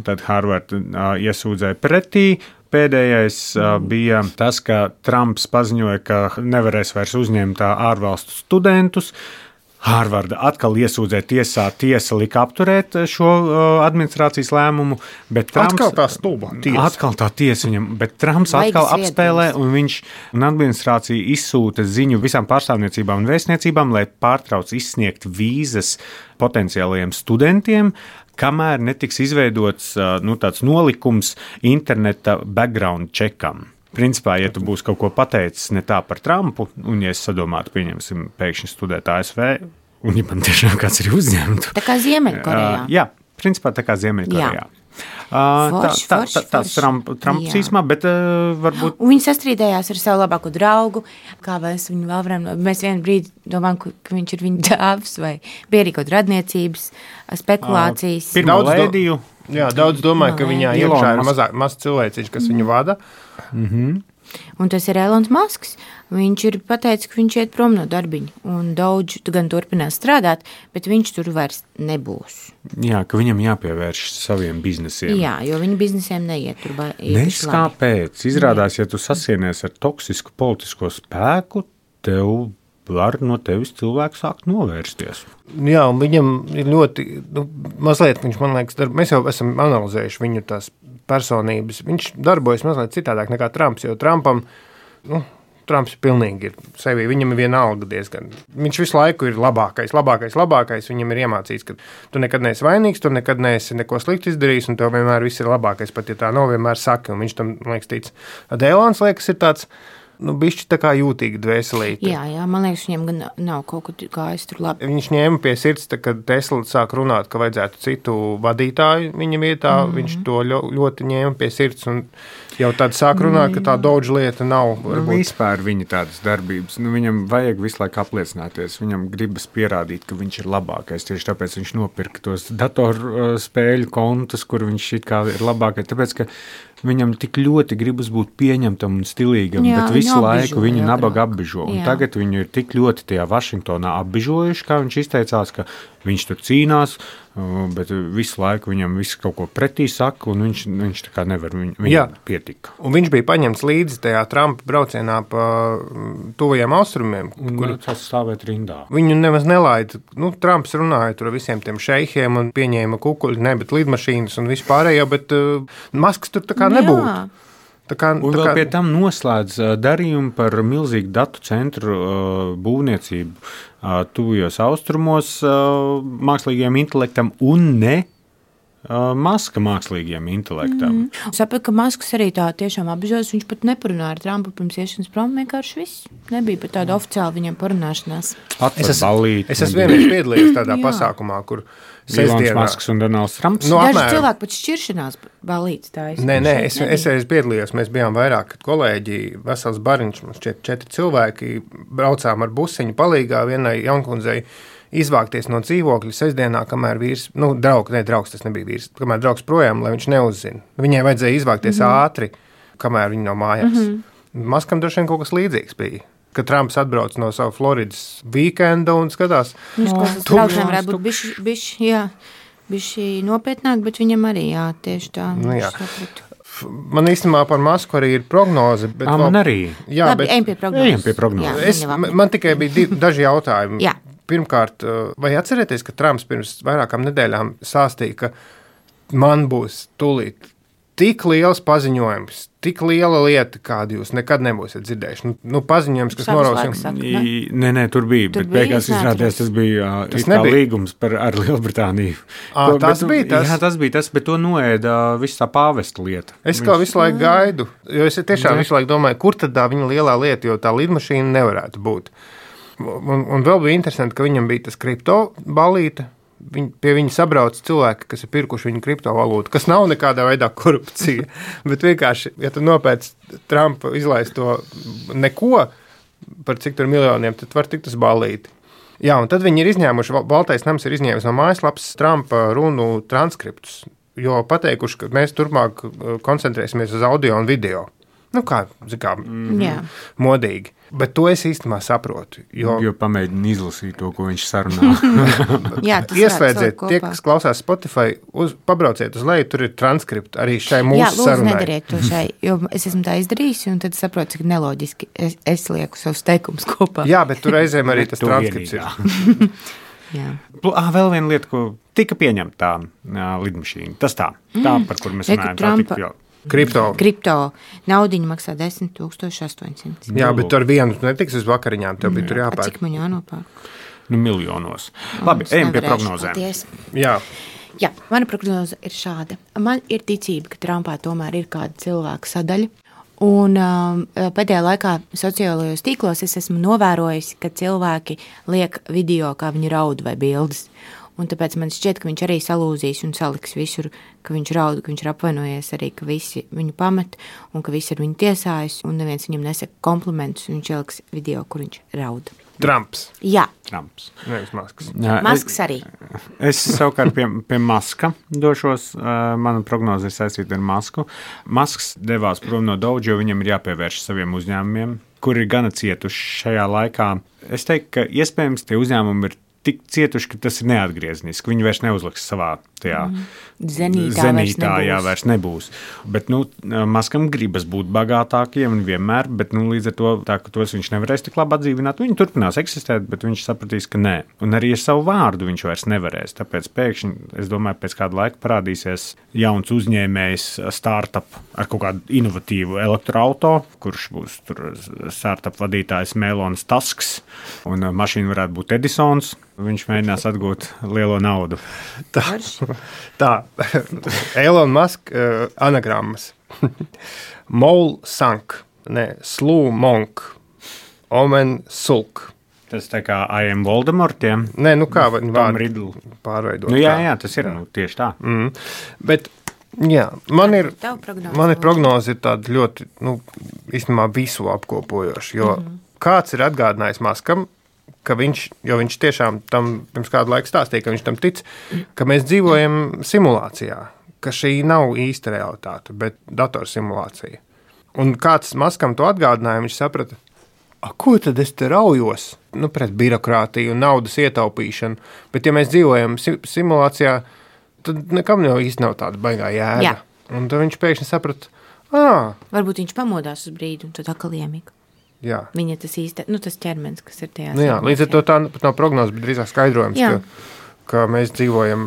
tad Hārvard uh, iesūdzēja pretī. Pēdējais uh, bija tas, ka Trumps paziņoja, ka nevarēs vairs uzņemt ārvalstu studentus. Hārvarda atkal iesūdzēja tiesā, tiesa lika apturēt šo uh, administrācijas lēmumu, bet Trumps... Atkal tā stulba tiesa. Atkal tā tiesa viņam, bet Trumps Vaigas atkal apspēlē, viedums. un viņš un administrācija izsūta ziņu visām pārstāvniecībām un vēstniecībām, lai pārtrauc izsniegt vīzas potenciālajiem studentiem, kamēr netiks izveidots uh, nu, tāds nolikums interneta background checkam. Principā, ja tu būsi kaut ko pateicis ne tā par Trumpu, un ja es sadomātu, pieņemsim, pēkšņi studēt A S V, un ja man tiešām kāds ir uzņemtu. Tā kā Ziemeļkorejā. Uh, jā, principā tā kā Ziemeļkorejā. Uh, forši, tā, forši, tā, tāds Trump, Trumps īsumā, bet uh, varbūt... Un viņi sastrīdējās ar savu labāko draugu, kā mēs viņu vēl varam... Mēs vienu brīdi domājam, ka viņš ir viņa dāvs, vai bija arī kaut radniecības, spekulācijas. Uh, pirmo lēdiju. Jā, daudz domāju, ka viņā Ilona iekšā ir mazāk, maz cilvēciņš, kas viņu vada. Mm-hmm. Un tas ir Elons Masks. Viņš ir pateicis, ka viņš iet prom no darbiņa. Un Doge gan turpinās strādāt, bet viņš tur vairs nebūs. Jā, ka viņam jāpievērš saviem biznesiem. Jā, jo viņa biznesiem neiet tur īpaši Nes kāpēc. Izrādās, ja tu sasienies ar toksisku politisko spēku, tev var no tevis cilvēks sākt novērsties. Jā, un viņam ir ļoti, nu, mazliet viņš, man liekas, darb, mēs jau esam analizējuši viņu tās personības. Viņš darbojas mazliet citādāk nekā Trumps, jo Trumpam, nu, Trumps pilnīgi ir sevi, viņam ir viena alga diezgan. Viņš visu laiku ir labākais, labākais, labākais. Viņam ir iemācīts, ka tu nekad neesi vainīgs, tu nekad neesi neko sliktu izdarījis, un tev vienmēr viss ir labākais, pat ja tā nav, vienmēr saki, un viņš tam, man liekas, tic. Elons, liekas, ir tāds, nu, bišķi tā kā jūtīgi dvēselīti. Jā, jā, man liekas, viņam gan nav kaut ko gājis tur labi. Viņš ņēma pie sirds, tā, kad Tesla sāk runāt, ka vajadzētu citu vadītāju viņa vietā. Mm-hmm. Viņš to ļoti ņēma pie sirds un jau tad sāk runāt, ka tā Doge lieta nav. Nu, vispār viņa tādas darbības. Nu, viņam vajag visu laiku apliecināties. Viņam gribas pierādīt, ka viņš ir labākais. Tieši tāpēc viņš nopirka tos datorspēļu kontus, kur viņš it kā ir labākais. Tāpēc, ka viņam tik ļoti gribas būt pieņemtam un stilīgam, jā, bet visu laiku viņu nabaga apbižo. Un tagad viņu ir tik ļoti tajā Vašingtonā apbižojuši, kā viņš izteicās, ka viņš tur cīnās, bet visu laiku viņam visu kaut ko pretī saka, un viņš, viņš tā kā nevar, viņ, viņam pietika. Un viņš bija paņemts līdzi tajā Trumpa braucienā pa tuvajiem austrumiem. Un kur tas stāvēt rindā. Viņu nemaz nelaida. Nu, Trumps runāja tur ar visiem tiem šeihiem un pieņēma kukuļi, ne, bet lidmašīnas un vispārējo, bet uh, Masks tur tā kā nebūtu. Jā. Tā kā, un tā vēl kā... pie tam noslēdz uh, darījumu par milzīgu datu centru uh, būvniecību uh, tuvajos austrumos uh, mākslīgajam intelektam un ne uh, Maska mākslīgajam intelektam. Mm. Sapratu, ka Masks arī tā tiešām apžēlas, viņš pat neparunāja ar Trumpu pirms iešanas prom, vienkārši viss. Nebija pat tāda oficiāla viņam parunāšanās. Es esmu es es vienreiz piedalījies tādā pasākumā, kur Ilons Masks un Donalds Trumps. Nu, Daži apmēram... cilvēki pat šķiršanās balīts tā. Es nē, nē, es, es reiz piedalījos, mēs bijām vairāk kolēģi, vesels bariņš, mums četri, četri cilvēki, braucām ar busiņu palīgā vienai jaunkundzei izvākties no dzīvokļa sestdienā, kamēr vīrs, nu, draugs, ne, draugs tas nebija vīrs, kamēr draugs projām, lai viņš neuzzina. Viņai vajadzēja izvākties mm-hmm. ātri, kamēr viņa nav mājās. Mm-hmm. Maskam droši vien kaut kas līdzīgs bija. Kad Trumps atbrauc no savu Floridas weekenda un skatās. Viņš no, tas braucam varētu būt bišķi, bišķi, jā, bišķi nopietnāk, bet viņam arī, jā, tieši tā. Nu, jā. Man īstenībā par Masku arī ir prognoze. Bet A, man vēl... arī. Jā, Labi, bet... ejam pie prognozes. Ejam pie prognozes. Es, man tikai bija divi, daži jautājumi. Jā. Pirmkārt, vai atcerieties, ka Trumps pirms vairākām nedēļām sāstīja, ka man būs tūlīt tik liels paziņojums, tik liela lieta, kādu jūs nekad nebūsiet dzirdējuši. Nu, nu paziņojums, kas noraus jums. Nē, nē, tur bija, tur bet bija, beigās izrādījās, tas bija tas līgums par, ar Lielbritāniju. À, to, tas bet, bija tas? Jā, tas bija tas, bet to noēda viss tā pāvesta lieta. Es kā visu laiku gaidu, jo es tiešām visu laiku domāju, kur tad tā viņa lielā lieta, jo tā lidmašīna nevarētu būt. Un, un vēl bija interesanti, ka viņam bija tas kripto balīte. Viņ, pie viņa sabrauc cilvēki, kas ir pirkuši viņu kriptovalūtu, kas nav nekādā veidā korupcija, bet vienkārši, ja tu nopēc Trumpa izlaist to neko par cik tur miljoniem, tad var tikt uz balīti. Jā, un tad viņi ir izņēmuši, Baltais nams ir izņēmis no mājaslapas Trumpa runu transkriptus, jo pateikuši, ka mēs turpmāk koncentrēsimies uz audio un video. Nu kā, kā mm-hmm. modīgi. Bet to es īstenībā saprotu. Jo, jo pamēģinu izlasīt to, ko viņš sarunā. Jā, ieslēdziet, tie, kas klausās Spotify, uz, pabrauciet uz leju, tur ir transkripti arī šai mūsu Jā, lūdzu, sarunai. Nedariet to šai, jo es esmu tā izdarījusi, un tad saprotu, cik neloģiski es, es lieku savus teikumus kopā. Jā, bet tur reizēm arī tas transkripts ir. Jā. Ah, vēl viena lieta, ko tika pieņemta tā jā, lidmašīna. Tas tā, tā mm. par kur mēs runājam. Tā tika jau. Kripto. Kripto naudiņu maksā desmit tūkstoši astoņsimt. Jā, bet ar vienu netiks uz vakariņām, tev bija tur jāpērk. Cik man jānopērk? Nu, miljonos. Labi, ejam pie prognozēm. Paties. Jā. Jā, mana prognoze ir šāda. Man ir ticība, ka Trumpā tomēr ir kāda cilvēka sadaļa. Un um, pēdējā laikā sociālajos tīklos es esmu novērojusi, ka cilvēki liek video, kā viņi raud vai bildes. Un tāpēc man šķiet, ka viņš arī salūzīs un saliks visur, ka viņš raud, ka viņš ir apvainojies arī, ka visi viņu pamet un ka visi ar viņu tiesājas un neviens viņam nesaka komplimentus un viņš ieliks video, kur viņš raud. Trumps. Jā. Trumps. Nevis Masks. Masks arī. Es savukārt pie, pie Maska došos. Mana prognoze ir saistīta ar Masku. Masks devās prom no Doge, jo viņam ir jāpievērš saviem uzņēmumiem, kuri ir gana cietuši šajā laikā. Es teiktu, ka iespējams tie uzņēmumi ir tik cietuši, ka tas ir neatgriezniski. Viņi vairs neuzliks savā tajā mm. zenītā, zenītā vairs jā, vairs nebūs. Bet, nu, Maskam gribas būt bagātākiem un vienmēr, bet, nu, līdz ar to, tā, ka tos viņš nevarēs tik labi atdzīvināt, viņi turpinās eksistēt, bet viņš sapratīs, ka nē. Un arī ar savu vārdu viņš vairs nevarēs. Tāpēc pēkšņi, es domāju, pēc kāda laika parādīsies jauns uzņēmējs startup ar kaut kādu inovatīvu elektroauto, kurš būs tur startup vadītājs Melonas Tasks, un mašīna varētu būt Edisons. Viņš mēģinās atgūt lielo naudu. Tā, tā. Elon Musk uh, anagrammas. Mole Sank, ne, Slū Monk, Omen Sulk. Tas tā kā I am Voldemortiem. Nē, nu kā viņi vārdu pārveidot. Nu jā, jā, tas ir nu, tieši tā. Mm. Bet, jā, man ir, man ir prognoze ir tāda ļoti, nu, īstenībā visu apkopojoša, jo mm-hmm. kāds ir atgādinājis Maskam, ka viņš, jo viņš tiešām tam pirms kādu laiku stāstīja, ka viņš tam tic, ka mēs dzīvojam simulācijā, ka šī nav īsta realitāte, bet datorsimulācija. Un kāds Maskam to atgādināja, viņš saprata, a, ko tad es te raujos? Nu, pret birokrātiju un naudas ietaupīšanu, bet ja mēs dzīvojam simulācijā, tad nekam jau īsti nav tāda baigā jēga. Jā. Un tad viņš pēkšņi saprata, ā. Varbūt viņš pamodās uz brīdi un tad atkal iemika. Jā. Viņa tas īsti, nu tas ķermenis, kas ir tajā. Nu jā, līdz ar to tā pat nav prognoze, bet drīzāk skaidrojums, ka, ka mēs dzīvojam,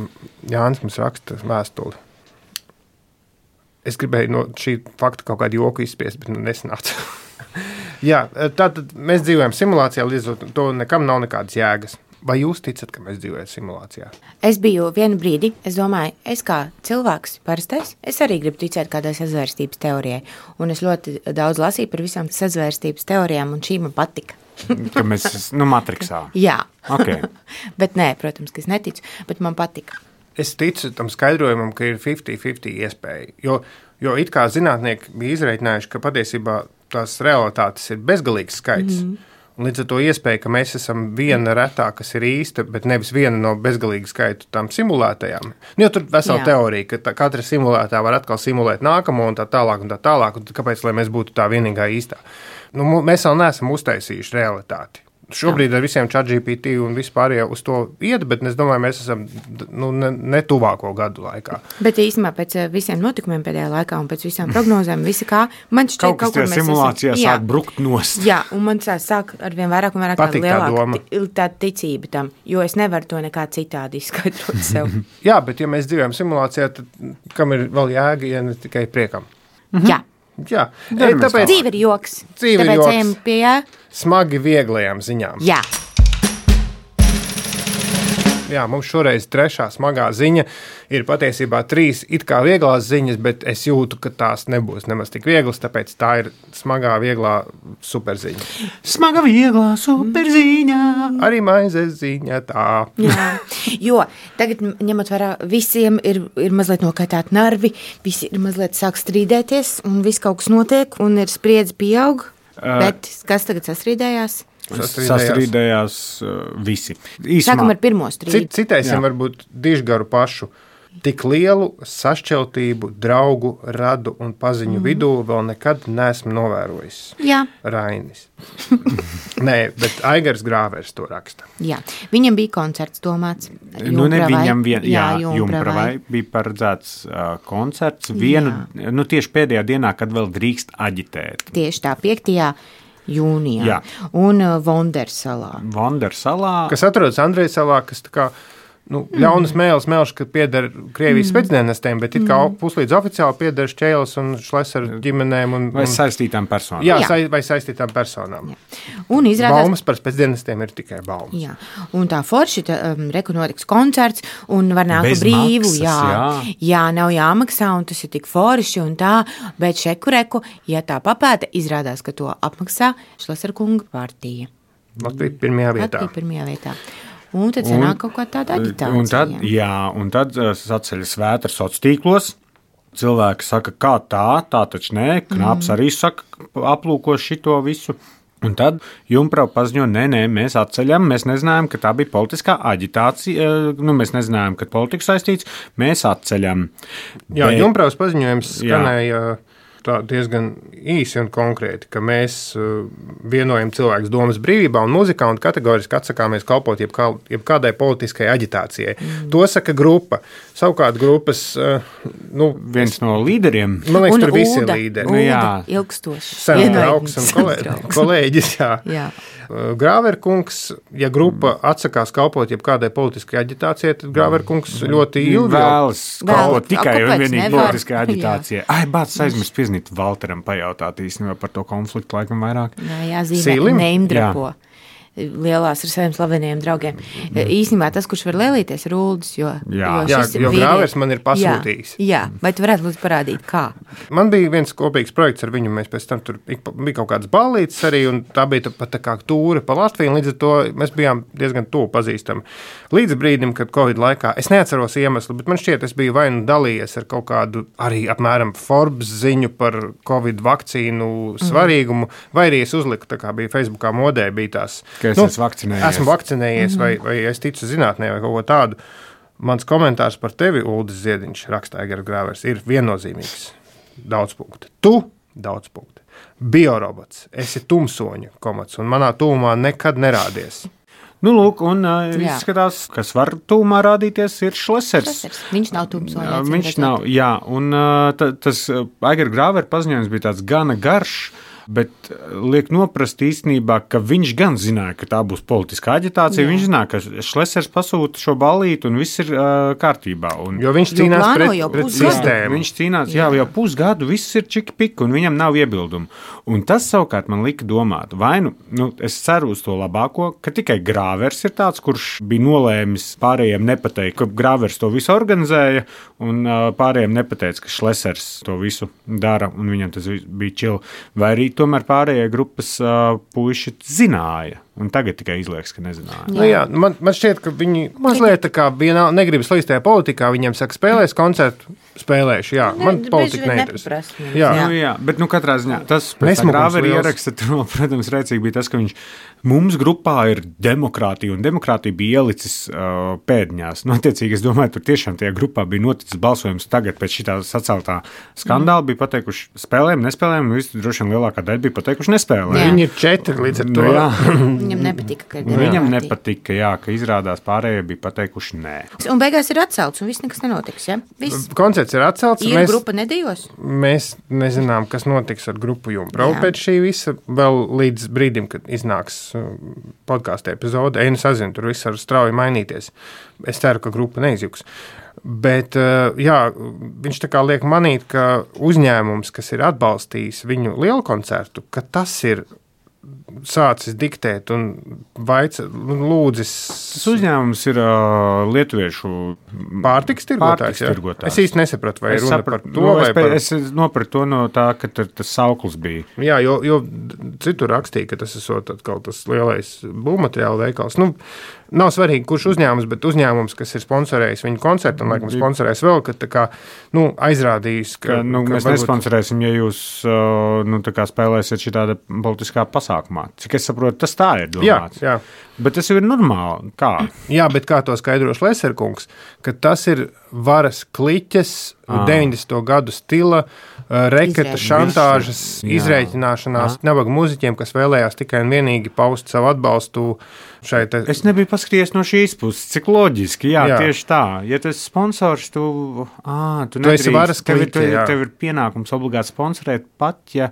Jānis mums raksta vēstuli. Es gribēju no šī fakta kaut kādu joku izspiest, bet nu nesanāca. Jā, tātad mēs dzīvojam simulācijā, līdz ar to nekam nav nekādas jēgas. Vai jūs ticat, ka mēs dzīvojam simulācijā? Es biju vienu brīdi, es domāju, es kā cilvēks parastais, es arī gribu ticēt kādai sazvērstības teorijai. Un es ļoti daudz lasīju par visām sazvērstības teorijām, un šī man patika. Ka mēs, nu, matriksā. Jā. Okay. Bet nē, protams, ka es neticu, bet man patika. Es ticu tam skaidrojumam, ka ir piecdesmit piecdesmit iespēja, jo, jo it kā zinātnieki bija izreikinājuši, ka patiesībā tās realitātes ir bezgalīgs skaits. Mm-hmm. Un līdz ar to iespēja, ka mēs esam viena retā, kas ir īsta, bet nevis viena no bezgalīga skaitu tām simulētajām. Nu, jo tur vesela Jā. teorija, ka tā, katra simulētā var atkal simulēt nākamo un tā tālāk un tā tālāk. Un kāpēc, lai mēs būtu tā vienīgā īstā? Nu, mēs vēl neesam uztaisījuši realitāti. Šobrīd ar visiem ChatGPT un vispār jau uz to iet, bet es domāju, mēs esam nu, ne, ne tuvāko gadu laikā. Bet īstenībā pēc visiem notikumiem pēdējā laikā un pēc visām prognozēm, visi kā, man šķiet, kaut kas tajā simulācijā esam, sāk brukt nost. Jā, un man sāk ar vien vairāk un vairāk Patīk tāda lielāka tā, tā ticība tam, jo es nevaru to nekā citādi izskaidrot sev. Jā, bet ja mēs dzīvojam simulācijā, tad kam ir vēl jēga, ja ne tikai priekam? Mhm. Jā. Jā, Ei, tāpēc dzīve ir joks. Dzīve tāpēc ir joks. Ejam pie jā. Smagi vieglajām ziņām. Jā. Jā, mums šoreiz trešā smagā ziņa ir patiesībā trīs it kā vieglās ziņas, bet es jūtu, ka tās nebūs nemaz tik vieglas, tāpēc tā ir smagā, vieglā superziņa. Smaga, vieglā superziņa. Arī maizes ziņa tā. Jā, jo tagad ņemot vērā, visiem ir, ir mazliet nokaitēti nervi, visi ir mazliet sāk strīdēties un viss kaut kas notiek un ir spriedzi pieaug, uh, bet kas tagad sasrīdējās? Sastrīdējās, Sastrīdējās uh, visi. Īsumā. Sākam ar pirmo strīdu. Cit, citaisim varbūt dižgaru pašu. Tik lielu sašķeltību draugu, radu un paziņu mm. vidū vēl nekad neesmu novērojis. Jā. Rainis. Nē, bet Aigars Grāvers to raksta. Jā, viņam bija koncerts domāts. Nu, ne viņam vien, jā, jā Jumpravai bija paredzēts uh, koncerts vienu, jā. Nu tieši pēdējā dienā, kad vēl drīkst aģitēt. Tieši tā, piektajā jūnijā. Jā. Un uh, Vondersalā. Vondersalā. Kas atrodas Andrejas salā, kas tā kā nu, ļaunas mēles melš, ka pieder Krievijas mm. spēcdienestiem, bet it kā mm. puslīdz oficiāli pieder Šķēles un Šlesaru ģimenēm. Un, un, vai saistītām personām. Jā, jā. Sa, vai saistītām personām. Jā. Un izrādās... Baumas par spēcdienestiem ir tikai baumas. Jā. Un tā forši, tā, um, reku notiks koncerts un var nākt bez brīvu. Maksas, jā. jā. jā, nav jāmaksā un tas ir tik forši un tā, bet šeku reku, ja tā papēta, izrādās, ka to apmaksā Šlesaru kunga partija. Latvija pirmajā vietā. Latvija pirmajā vietā. Un tad sanāk kaut kā tāda aģitācija. Un tad, jā, un tad saceļas vētra soc tīklos. Cilvēki saka, kā tā, tā taču nē. Knaps mm. arī saka, aplūko šito visu. Un tad Jumprau paziņo, nē, nē, mēs atceļam, mēs nezinājām, ka tā bija politiskā aģitācija, nu, mēs nezinājām, ka politika saistīts, mēs atceļam. Jā, Bet... Jumpraus paziņojums skanēja tā diezgan īsi un konkrēti, ka mēs uh, vienojam cilvēkus domas brīvībā un muzikā un kategoriski atsakāmies kalpot jebkā, jebkādai politiskai aģitācijai. Mm. To saka grupa. Savukārt grupas, uh, nu, viens no līderiem. Man liekas, un tur visi ir Ulda, līderi. Ulda, Jā. ilgstoši. Sens draugs un kolē, kolēģis, jā. jā. Grāverkungs, ja grupa atsakās kalpot jebkādai politiskai aģitācijai, tad Grāverkungs ļoti ilgi vēlas kalpot tikai un kāpēc vienīgi nevar? politiskai aģitācijai. Ai, bāc, aizmirst pieznīt Valteram pajautāt īstenībā par to konfliktu laikam vairāk. Jā, jāzīmē, Sīlim? neimdrapo. Lielās ar saviem slaveniem draugiem. Mm. Īstenībā tas, kurš var lielīties, ir Uldis, jo, Jā. jo, Jā, šis jo vīrietis- Grāvers man ir pasūtījis. Jā, jā, vai tu varētu lūdzu parādīt, kā? Man bija viens kopīgs projekts ar viņu, mēs pēc tam tur ik pa- bija kaut kādas ballītes arī, un tā bija tā- pat tā kā tūre pa Latviju, un līdz ar to mēs bijām diezgan tuvu pazīstami. Līdz brīdim, kad Covid laikā, es neatceros iemeslu, bet man šķiet, es biju vai nu dalījies ar kaut kādu arī apmēram Forbes ziņu par Covid vakcīnu svarīgumu, mm. vai arī es uzliku, tā kā bija Facebookā modē, bija tās. Ka es Nu, esmu vakcinējies. Esmu vakcinējies, mm-hmm. vai, vai es ticu zinātnē, vai kaut ko tādu. Mans komentārs par tevi, Uldis Ziediņš, raksta Aigars Grāvers, ir viennozīmīgs. Daudz punktu. Tu daudz punktu. Biorobots, esi tumsoņa komats, un manā tūmā nekad nerādies. Nu, lūk, un uh, Jā. izskatās, kas var tūmā rādīties, ir Šlesers. Šlesers. Viņš nav tumsoņa. Jā, acīm viņš redzot. nav, jā, un uh, ta, tas uh, Aigara Grāvera paziņojums bija tāds gana garš, bet liek noprast īstenībā, ka viņš gan zināja, ka tā būs politiskā aģitācija. Jā. Viņš zināja, ka Šlesers pasūta šo ballīti un viss ir uh, kārtībā. Un, Jo viņš Jo cīnās plāno pret, jau pret pusgadu. sistēmu. Viņš cīnās, jā, jau pusgadu viss ir čiki-piki, un viņam nav iebildumu. Un tas savukārt man lika domāt, vai nu, nu es ceru uz to labāko, ka tikai Grāvers ir tāds, kurš bija nolēmis pārējiem nepateikt, ka Grāvers to visu organizēja, un uh, pārējiem nepateica, ka Šlesers to visu dara, un viņam tas bija čili. Vai arī tomēr pārējie grupas uh, puiši zināja, un tagad tikai izliekas, ka nezināja. Nu, jā, man, man šķiet, ka viņi mazliet tā kā vienā negrib slīst tajā politikā. Viņiem saka, spēlēs koncertu, spēlēšu. Jā, Ne, man bieži politika vien neinteresē. nepaprast viņam. Jā. Nu, jā, bet nu, katrā ziņā tas Nesmukums Grāvera liels. ieraksta, tur, protams, rēcīgi bija tas, ka viņš mums grupā ir demokrātija, un demokrātija bija ielicis uh, pēdiņās. Nu, attiecīgi, es domāju, tur tiešām tajā grupā bija noticis balsojums tagad pēc šitā saceltā skandāla, mm. bija pateikuši spēlēm, nespēlēm, un visi droši vien lielākā daļa bija pateikuši nespēlēm. Jā. Viņi ir četri līdz ar to. Nu, jā. Viņam nepatika, ka ir Viņam demokrātija. nepatika, jā, ka izrādās pārējie bija pateikuši nē. Un beigās ir atcelts, un viss nekas nenotiks, ja? Viss. Koncerts ir atcelts. Ir Mēs, grupa nedējos? mēs nezinām, kas notiks ar grupu Jumprau Jā. pēc šī visa, vēl līdz brīdim, kad iznāks podkāstu epizode. Ej, nu sazinu, tur viss var strauji mainīties. Es ceru, ka grupa neizjuks. Bet jā, viņš tā kā liek manīt, ka uzņēmums, kas ir atbalstījis viņu lielu koncertu, ka tas ir sācis diktēt un vaica, lūdzis. Tas uzņēmums ir uh, lietuviešu Pārtiks tirgotājs. Pārtiks jā? tirgotājs. Es īsti nesapratu, vai Es runa sapratu, par to, nu, vai es, par... es nopratu to no tā, ka tur tas sauklis bija. Jā, jo, jo citur rakstīja, ka tas ir kaut tas lielais būvmateriāla veikals. Nu, nav svarīgi, kurš uzņēmums, bet uzņēmums, kas ir sponsorējis viņu koncertu, un laikam sponsorējis vēl, ka tā kā, nu, aizrādījis, ka, Ka, nu, ka mēs varbūt... nesponsorēsim, ja jūs uh, nu, tā kā spēlēsiet šitāda politiskā pasākumā. Cik es saprotu, tas tā ir domāts. Jā, jā. Bet tas jau ir normāli. Kā? Jā, bet kā to skaidro Šleserkungs, ka tas ir varas kliķes, Ah. deviņdesmito gadu stila, uh, reketa, Izrēķināšanās. šantāžas, Jā. izrēķināšanās, nabaga muziķiem, kas vēlējās tikai un vienīgi paust savu atbalstu šai te... Es nebiju paskatījies no šīs puses, cik loģiski. Jā, Jā. jā. Tieši tā. Ja tu esi sponsors, tu, ā, tu, Tu esi nedrīkst. varas tev, ir- kliķe, jā. tev ir pienākums obligāti sponsorēt, pat ja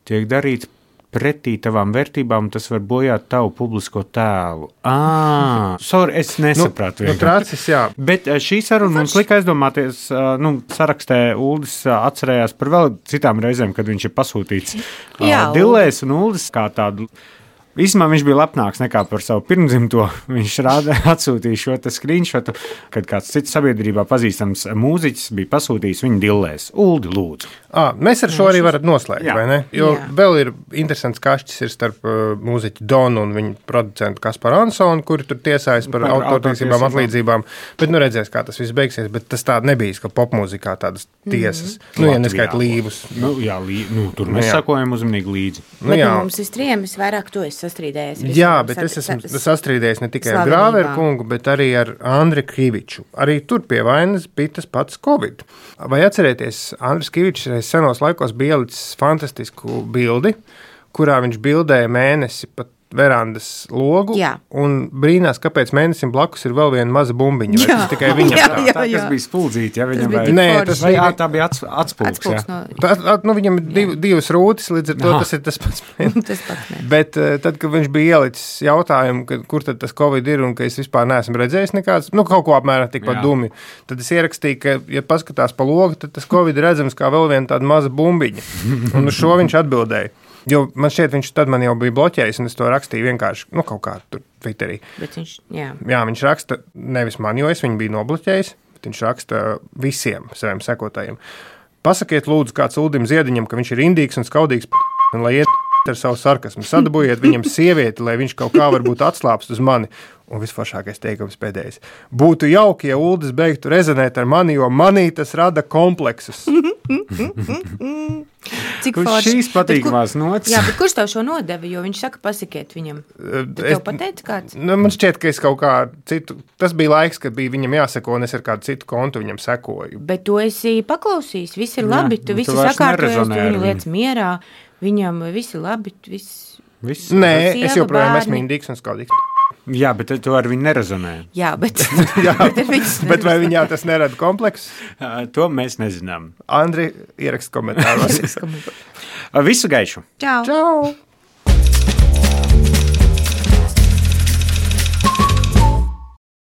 tiek darīts pretī tavām vērtībām, tas var bojāt tavu publisko tēlu. Ah, sorry, es nesapratu. Nu, nu, trācis, jā. Bet eh, šī saruna mums lika aizdomāties, eh, nu, sarakstē Uldis eh, atcerējās par vēl citām reizēm, kad viņš ir pasūtīts eh, Jā, dillēs, un Uldis kā tādu Īsumā viņš bija lepnāks nekā par savu pirmdzimto. Viņš rāda, atsūtīja šo screenshotu, kad kāds cits sabiedrībā pazīstams mūziķis bija pasūtījis viņu dillēs. Uldi, lūdzu. À, mēs ar šo arī varam noslēgt, Jā. vai ne? Jo Jā. vēl ir interesants kašķis ir starp uh, mūziķu Donu un viņu producentu Kasparu Ansonu, kuri tur tiesājas par, par autortiesībām, atlīdzībām. Bet nu redzēs, kā tas viss beigsies. Bet tas tā nebija, ka popmūzikā tādas tiesas. Mm-hmm. Nu, ja neskait līvus. Nu, jā, lī, nu, tur mēs Nu, jā. sakojam uzmanīgi līdzi. Nu, Bet jā. nu, mums ir trījiem, es vairāk to es sastrīdējies. Jā, bet es esmu sastrīdējies ne tikai ar Grāveru kungu, bet arī ar Andri Kriviču. Arī tur pie vainas bija tas pats Covid. Vai atcerieties, Andris Krivičs reiz senos laikos bija ielicis fantastisku bildi, kurā viņš bildēja mēnesi pat verandas logu Jā. un brīnās, kāpēc mēnesim blakus ir vēl viena maza bumbiņa. Vai tas tikai viņam Jā, tā? jā. Tā, kas bija spuldzīti, ja viņam bija vai... tik Nē, forši. tas Vai, bija... jā, tā bija ats, atspulks, Atspulks jā. no... Tā, tā, nu, viņam ir div, divas rūtis, līdz ar to Aha. tas ir tas pats. Tas pats ne. Bet uh, tad, kad viņš bija ielicis jautājumu, ka, kur tad tas Covid ir un ka es vispār neesmu redzējis nekāds, nu, kaut ko apmēram tikpat Jā. dumi, tad es ierakstīju, ka, ja paskatās pa logu, tad tas Covid ir redzams kā vēl viena tāda maza bumbiņa. Un uz šo viņš atbildēja. Jo man šķiet, viņš tad man jau bija bloķējis, un es to rakstīju vienkārši, nu, kaut kā tur Twitterī. Bet viņš, jā. Jā, viņš raksta nevis man, jo es viņu biju nobloķējis, bet viņš raksta visiem saviem sekotājiem. Pasakiet lūdzu kāds Uldim Ziediņam, ka viņš ir indīgs un skaudīgs p***, un lai iet ar savu sarkasmu. Sadabūjiet viņam sievieti, lai viņš kaut kā varbūt atslāpst uz mani. Un visforšākais teikums pēdējais. Būtu jauki, ja Uldis beigtu rezonēt ar mani, jo manī tas rada kompleksus. Cik Kurš forši. šīs Bet patīkamās kur- nots? Jā, bet kurš tev šo nodeva, jo viņš saka, pasakiet viņam. Tu Es- tev pateici kāds? Nu, man šķiet, ka es kaut kā citu, tas bija laiks, kad bija viņam jāseko, un es ar kādu citu kontu viņam sekoju. Bet tu esi paklausījis, viss ir labi, Jā, tu nu, visi tu vairs sakārtojies, tu nerezonē ar viņu viņu. lietas mierā, viņam viss ir labi, viss. Viss. Nē, Sieva, es joprojām bērni. esmu indīgs un skaudīgs. Jā, bet tu ar viņu nerezonē. Jā, bet, Jā, bet, ar viņus bet vai viņā tas nerada kompleksus? Ā, To mēs nezinām. Andri, ierakst komentāros. neredz. Visu gaišu! Čau! Čau!